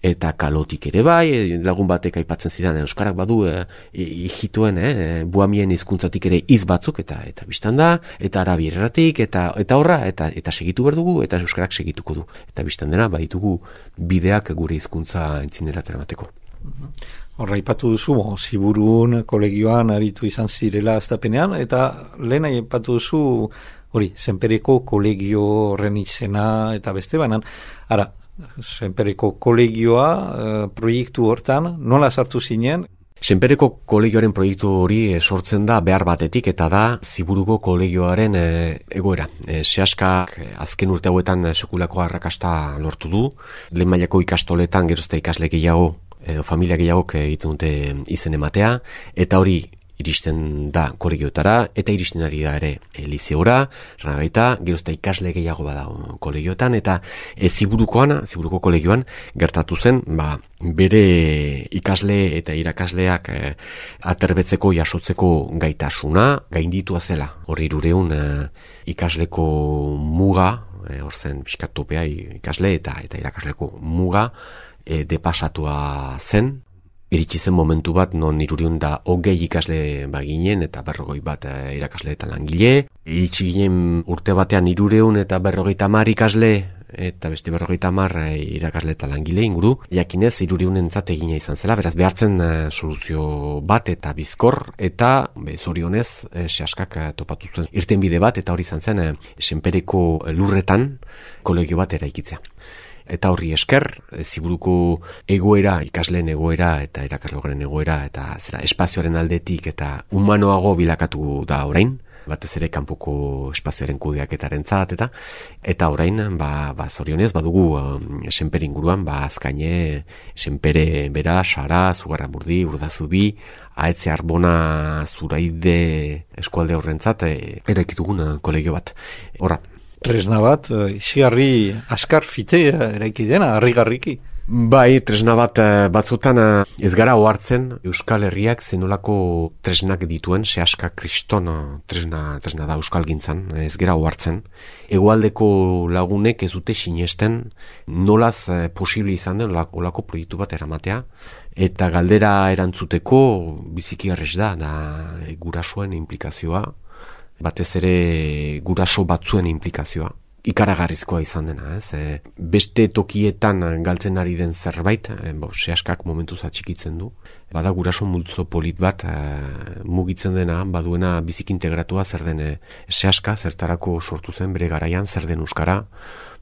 eta kalotik ere bai, lagun batek aipatzen zidan, euskarak badu e, hijituen, e, buamien hizkuntzatik ere hitz batzuk, eta eta biztan da, eta arabierratik, eta eta horra, eta eta segitu behar dugu, eta euskarak segituko du. Eta biztan dena, baditugu bideak gure hizkuntza entzinera teramateko. Horra ipatu duzu, bo, Ziburun kolegioan aritu izan zirela aztapenean, eta lehen aipatu duzu, hori, Senpereko kolegio horren izena eta beste banan. Ara, Senpereko kolegioa e, proiektu hortan, nola sartu zinen? Senpereko kolegioaren proiektu hori e, sortzen da behar batetik eta da Ziburuko kolegioaren e, egoera. E, Sehaskak e, azken urte hauetan e, sekulako arrakasta lortu du, lehen mailako ikastoletan gerozta ikasle gehiago edo familia gehiagok egiten dute izen ematea, eta hori iristen da kolegiotara, eta iristen ari da ere e, lizeora, rana gaita, gerozta ikasle gehiago bada kolegiotan, eta e, Ziburukoan, Ziburuko kolegioan, gertatu zen, ba, bere ikasle eta irakasleak e, aterbetzeko, jasotzeko gaitasuna, gainditua zela. Hor hirureun e, ikasleko muga, e, hor zen piskatopea ikasle eta eta irakasleko muga, e, depasatua zen, iritsi zen momentu bat non hirurehun da hogei ikasle baginen eta berrogei bat e, irakasle eta langile. Iritsi ginen urte batean hirurehun eta berrogeita hamar ikasle eta beste berrogeita hamar e, irakasle eta langile inguru. Jakinez hirureunentzat egina izan zela, beraz behartzen e, soluzio bat eta bizkor eta be, zorionez e, Sehaskak e, topatu zuen irtenbide bat eta hori izan zen e, Senpereko lurretan kolegio bat eraikitzea. Eta horri esker, Ziburuko egoera, ikasleen egoera eta irakaslearen egoera eta zera espazioaren aldetik eta humanoago bilakatu da orain, batez ere kanpoko espazioaren kudeaketarentzat eta eta orain ba ba zorionez badugu um, Senpere inguruan ba Azkaine, Senpere bera, Sara, Zugarramurdi, Urdazubi, Ahetze Arbona, Zuraide eskualde horrentzat e, eraikitugun kolegio bat. Horra, tresna bat, izigarri askar fite eraiki dena, harrigarriki. Bai, tresna bat batzutan ez gara ohartzen Euskal Herriak zenolako tresnak dituen, Sehaska kriston tresna, tresna da euskalgintzan, ez gara ohartzen. Hegoaldeko lagunek ez dute sinesten nolaz posible izan den olako proiektu bat eramatea, eta galdera erantzuteko biziki errez da, da gurasoen implikazioa, batez ere guraso batzuen implikazioa, ikaragarrizkoa izan dena, ez? E, beste tokietan galtzen ari den zerbait, e, bo, Sehaskak momentuz atxikitzen du. Bada guraso multzo polit bat e, mugitzen dena, baduena bizik integratua zer den e, Sehaska, zertarako sortu zen bere garaian, zer den euskara,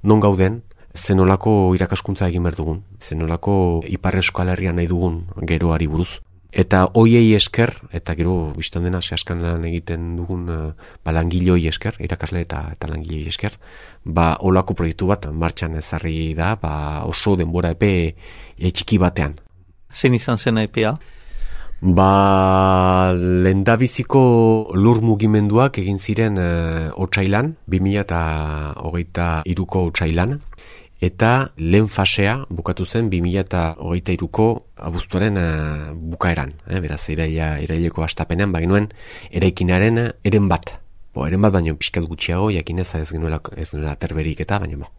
non gauden, zenolako irakaskuntza egin behar dugun, zenolako Ipar Euskal Herrian nahi dugun geroari buruz. Eta hoiei esker, eta gero biztan dena Sehaskan lan egiten dugun uh, ba, langiloi esker, irakasle eta, eta langiloi esker, ba olako proiektu bat martxan ezarri da, ba oso denbora epe e, txiki batean. Zein izan zen epea? Ba lehendabiziko lur mugimenduak egin ziren uh, otsailan, bi mila hogeita hiruko otsailan, eta lehen fasea bukatu zen bi mila hogeita hiruko abuztuaren uh, bukaeran. Eh? Beraz, iraila, iraileko hastapenean, baginuen eraikinaren eren bat. Bo, eren bat baino pixkat gutxiago, jakinez ez genuela, ez genuela terberik eta, baina bo,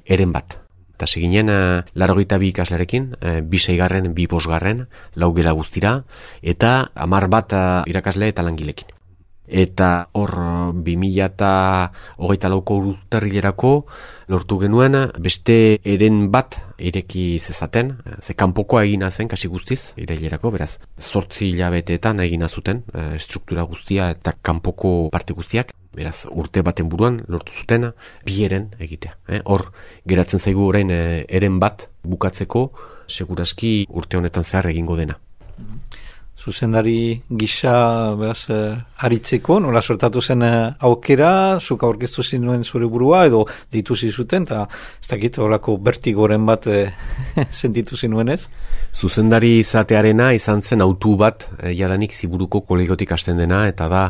eren bat. Eta seginen larogeita bi ikaslerekin, bi seigarren, bi bosgarren, lau gela guztira, eta hamar bat irakasle eta langilekin. Eta hor bi mila eta hogeita lauko urtarrilerako lortu genuen beste eren bat ireki zezaten, ze kanpokoa egina zen kasi guztiz irailerako, beraz zortzi hilabeteetan egina zuten struktura guztia eta kanpoko parte guztiak, beraz urte baten buruan lortu zuten bi eren egitea. Eh? Hor geratzen zaigu orain eren bat bukatzeko seguraski urte honetan zehar egingo dena. Zuzendari gisa behaz, eh, haritzeko, nola sortatu zen eh, aukera, zuk aurkeztu zinuen zure burua, edo deitu zizuten, eta ez dakit, horako bertigoren bat eh, sentitu zinuen ez? Zuzendari izatearena izan zen autu bat, eh, jadanik Ziburuko kolegiotik hasten dena, eta da,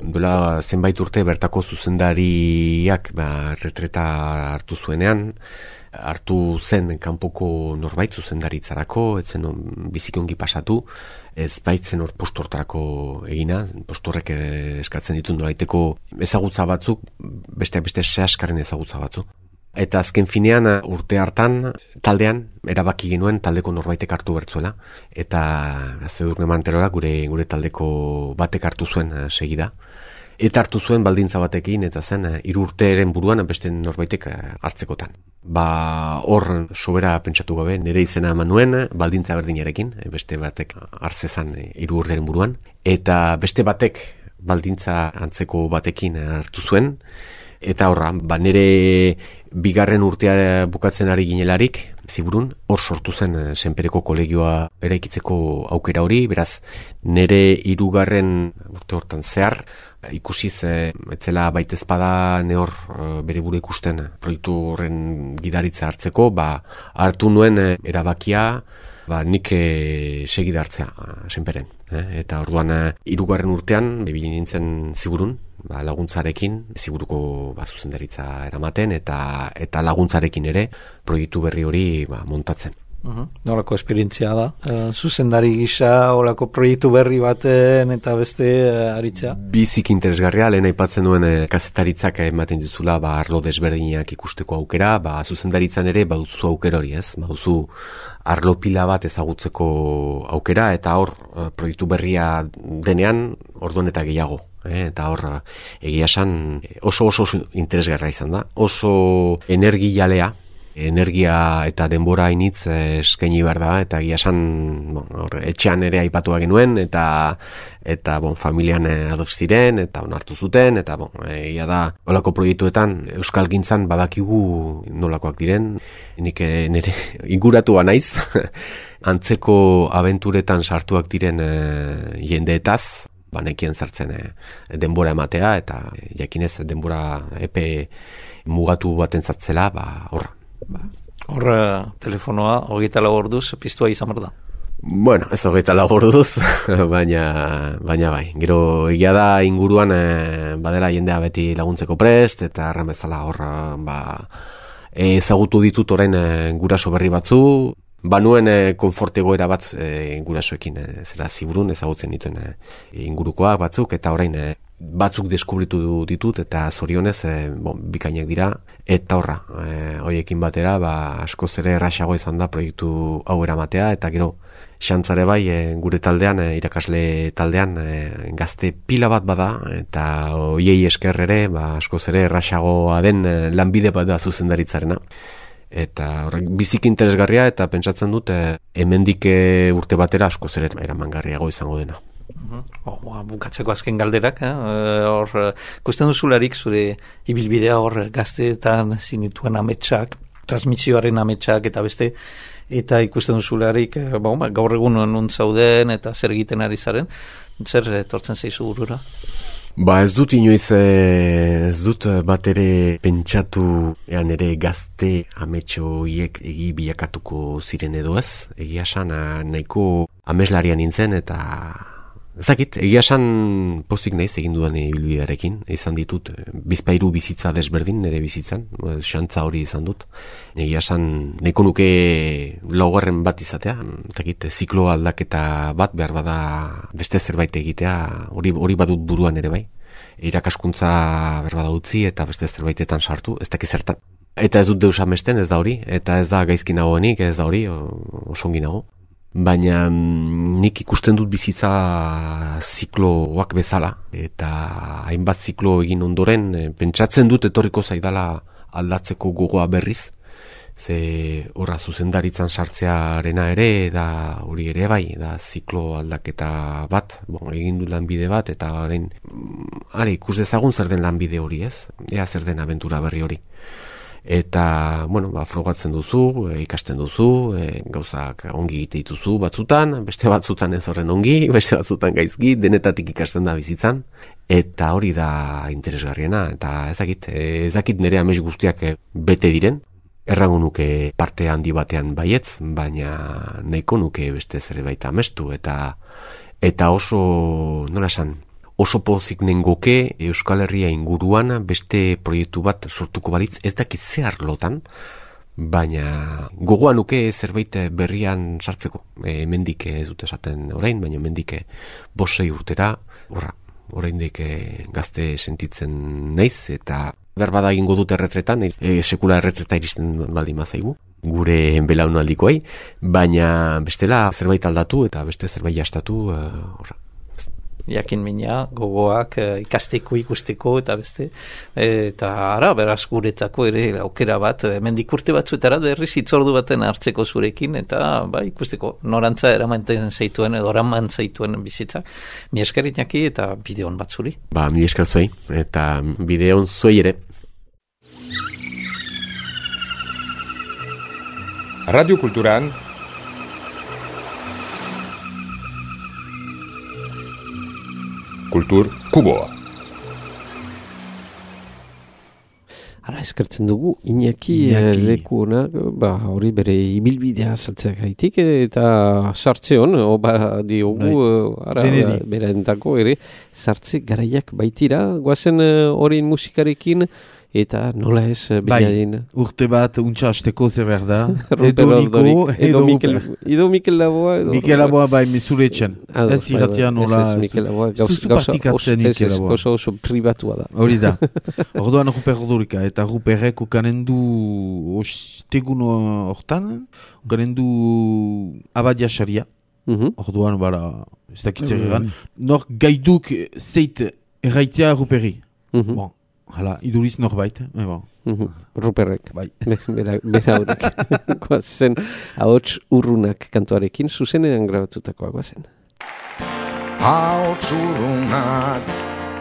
duela zenbait urte bertako zuzendariak ba, retreta hartu zuenean, hartu zen kanpoko norbait zuzendaritzarako, etzen bizikongi pasatu, ez baitzen hor postu hortarako egina, postu horrek eskatzen ditu nolaiteko ezagutza batzuk, beste beste sehaskarren ezagutza batzuk. Eta azken finean urte hartan taldean erabaki genuen taldeko norbaitek hartu bertzuela, eta Zedurne Manterora gure gure taldeko batek hartu zuen segida. Eta hartu zuen baldintza batekin, eta zen hiru urteren buruan beste norbaitek hartzekotan. Ba hor sobera pentsatu gabe nire izena eman nuen baldintza berdinarekin, beste batek hartzezan hiru urteren buruan, eta beste batek baldintza antzeko batekin hartu zuen, eta horra, ba nire bigarren urtea bukatzen ari ginelarik, Ziburun, hor sortu zen Senpereko kolegioa eraikitzeko aukera hori, beraz nire hirugarren urte hortan zehar, ikusiz e, etzela baitezpada ne hor e, bere buru ikusten proiektu horren gidaritza hartzeko, ba hartu nuen e, erabakia ba nik e, segida hartzea Senperen, eh? Eta orduan hirugarren urtean ibili nintzen Ziburun, ba, laguntzarekin Ziburuko ba zuzendaritza eramaten eta eta laguntzarekin ere proiektu berri hori ba montatzen. Uh-huh. Nolako esperientzia da? Uh, zuzendari gisa, olako proiektu berri baten eta beste uh, aritzea? Bizik interesgarria, lehen aipatzen duen eh, kazetaritzak ematen dizula ba, arlo desberdinak ikusteko aukera, ba, zuzendaritzan ere baduzu aukera hori, ez? Baduzu arlo pila bat ezagutzeko aukera, eta hor uh, proiektu berria denean orduan eta gehiago. Eh, eta hor egia esan oso oso, oso interesgarra izan da, oso energialea, energia eta denbora initz eskaini behar da, eta egia esan bon, hor, etxean ere aipatua genuen, eta eta bon, familian ados ziren, eta onartu zuten, eta bon, egia da, holako proiektuetan euskalgintzan badakigu nolakoak diren, nik nire inguratua naiz, antzeko abenturetan sartuak diren e, jendeetaz, banekien sartzen e, denbora ematea, eta jakinez denbora epe mugatu baten zatzela, ba, horra. Ba. Hor telefonoa hogeita lau orduz piztua izan behar da. Bueno, ez hogeita lau orduz, baina, baina bai. Gero egia da inguruan e, badela jendea beti laguntzeko prest, eta erran bezala hor ba, ezagutu ditut orain e, guraso berri batzu, banuen e, konfortegoera bat e, gurasoekin e, zera Ziburun ezagutzen dituen e, ingurukoak batzuk, eta orain e, batzuk deskubritu ditut eta zorionez e, bon, bikainak dira, eta horra e, hoiekin batera ba, askoz ere erraxago izan da proiektu hau eramatea, eta gero xantzare bai e, gure taldean, e, irakasle taldean e, gazte pila bat bada, eta hoiei esker ere ba, askoz ere erraxagoa den e, lanbide bat da zuzendaritzarena, eta horrek bizik interesgarria, eta pentsatzen dut e, hemendik e, urte batera askoz ere eramangarriago izango dena. Uh-huh. Oh, bukatzeko azken galderak, eh? Hor, ikusten duzularik zure ibilbidea hor gazteetan zinituen ametsak, transmisioaren ametsak eta beste, eta ikusten duzularik eh, ba, gaur egun non zauden eta zer egiten ari zaren, zer etortzen zaizu burura? Ba ez dut inoiz, ez dut bat ere pentsatu ean ere gazte ametxoiek egi bilakatuko ziren edo ez, egia esan nahiko ameslaria nintzen, eta ezakit, egia esan pozik naiz egin dudan ibilbidearekin, izan ditut bizpairu bizitza desberdin nire bizitzan, xantza hori izan dut, egia esan nahiko nuke laugarren bat izatea, ezakit, ziklo aldaketa bat behar bada beste zerbait egitea, hori hori badut buruan ere bai, irakaskuntza behar bada utzi eta beste zerbaitetan sartu, ez dakit zertan. Eta ez dut deus amesten, ez da hori, eta ez da gaizki nagoenik, ez da hori, osongi nago. Baina nik ikusten dut bizitza zikloak bezala, eta hainbat ziklo egin ondoren, pentsatzen dut etorriko zaidala aldatzeko gogoa berriz, ze horra zuzendaritzan sartzearena ere, da hori ere bai, da ziklo aldaketa bat, bon, egin du lanbide bat, eta orain, are, ikus dezagun zer den lanbide hori ez, ea zer den abentura berri hori. Eta, bueno, ba, frogatzen duzu, e, ikasten duzu, e, gauzak ongi egite dituzu batzutan, beste batzutan ez horren ongi, beste batzutan gaizki, denetatik ikasten da bizitzan, eta hori da interesgarriena, eta ezakit, ezakit nire amets guztiak bete diren, errango nuke parte handi batean baietz, baina nahiko nuke beste zerbait amestu, eta, eta oso, nola esan, oso pozik nengoke Euskal Herria inguruan beste proiektu bat sortuko balitz, ez dakit ze arlotan, baina gogoan nuke zerbait berrian sartzeko. E, mendik ez dut esaten orain, baina mendik bosei urtera, horra, oraindik gazte sentitzen naiz, eta berbada egingo dut erretretan, e, sekula erretreta iristen baldin mazaigu, gure belaunaldikoei, baina bestela zerbait aldatu eta beste zerbait jastatu, horra. Jakin mina, gogoak ikasteko ikusteko eta beste, eta ara, beraz guretzako ere aukera bat, mendik urte batzuetara berriz hitzordu baten hartzeko zurekin, eta ba, ikusteko norantza eramanten zaituen edo eraman zaituen bizitza. Mi esker Iñaki eta bideon bat zuri. Ba, mi esker zuei, eta bideon zuei ere. Radio Kulturan Kultur Kuboa. Ara eskertzen dugu, Iñaki, Iñaki. Leku honak, ba, hori bere ibilbidea saltzeak haitik, eta sartze hon, oba diogu, ara, bera entako ere, sartze garaiak baitira, guazen horien musikarekin, eta nola ez binadin. Bai, urte bat untxa hasteko zer behar da. Edo Niko, edo Mikel, edo Mikel Laboa. Edo Mikel Laboa bai mesuretxen. Ez irratia nola. Ez Mikel Laboa, gauza oso oso pribatua da. Hori da. Orduan Ruper Ordurika, eta Ruperrek ukanen du ostegun hortan, ukanen du abadia xaria. Orduan, bara, ez dakitzer egan. Nor gaiduk zeit erraitea Ruperri. Bon. Hala, iduriz norbait, eh, bon. Ruperrek, bai. Bera horrek. Guazen, ahots urrunak kantuarekin, zuzenean grabatutakoa guazen. Ahots urrunak,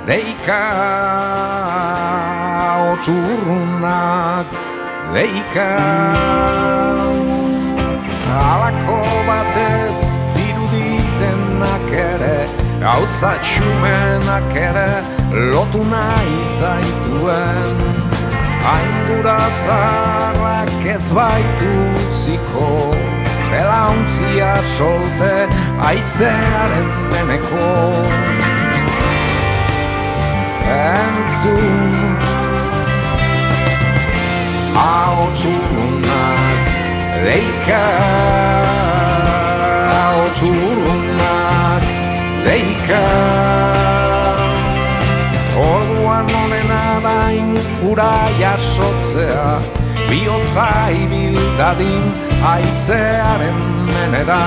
deika, ahots urrunak, deika, halako batez diruditenak ere, gauza txumenak ere, lotu nahi zaituen, haingura zarrak ez baitu ziko, belauntzia solte aizearen meneko. Entzun, ahots urrunak, deika, ahots urrunak, deika. Orduan honena dain ura jasotzea, bihotza ibildadin aizearen menera.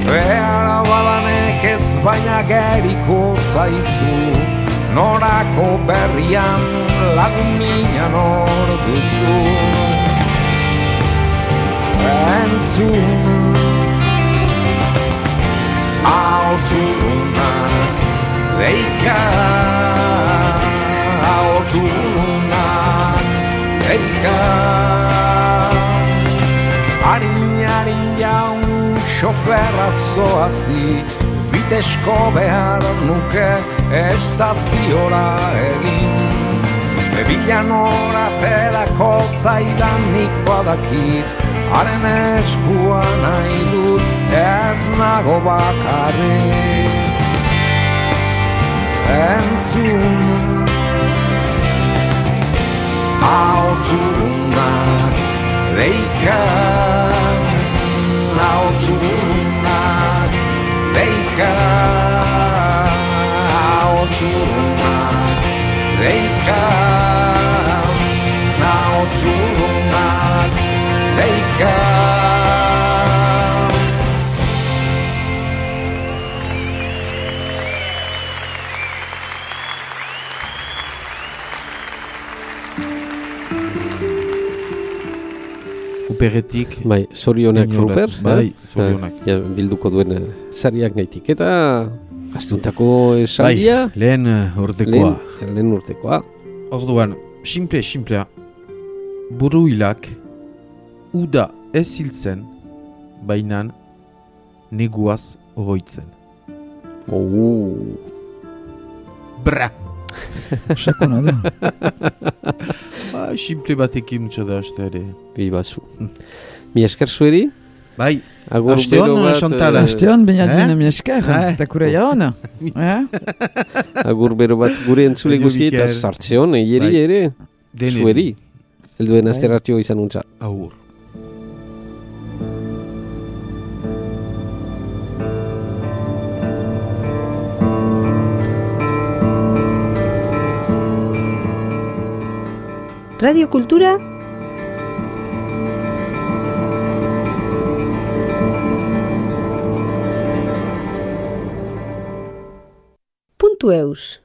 Behara badanek ez baina geriko zaizu, norako berrian lagun mina nor duzu. Entzun, ahots urrunak, deika, ahots urrunak, deika. Harin-harin jaun xoferra zoazi, fitesko behar nuke estaziora egin. Bebilan oratelako zaidanik badakit, haren eskua nahi dut ez nago bakarrik. Entzun, ahots urrunak, deika, ahots urrunak, deika, ahots urrunak, deika, ahots txulunak deika. Ruperretik. Bai, zorionak Ruper. Bai, zorionak. Ja, bilduko duen uh, sariak gaitik. Eta astuntako esaldia. Bai, lehen uh, urtekoa. Lehen, lehen urtekoa. Orduan, simple, simplea. Buru hilak, uda ez hiltzen, bainan neguaz oroitzen. Oh. Bra! Sakona da. Ba, simple batekin utxa da, aste ere. Bibazu. Mi esker zueri? Bai, Agur aste hon, Chantal. Aste hon, baina Eh? dina mi esker. Eh? Eta kure jaon. Eh? Agur bero bat gure entzule Baina guzi eta Mikel. sartzeon, eieri Bai. ere. Deneri. Zueri. Elduen Bai. asteratio izan untza. Agur. Radio Kultura puntu eus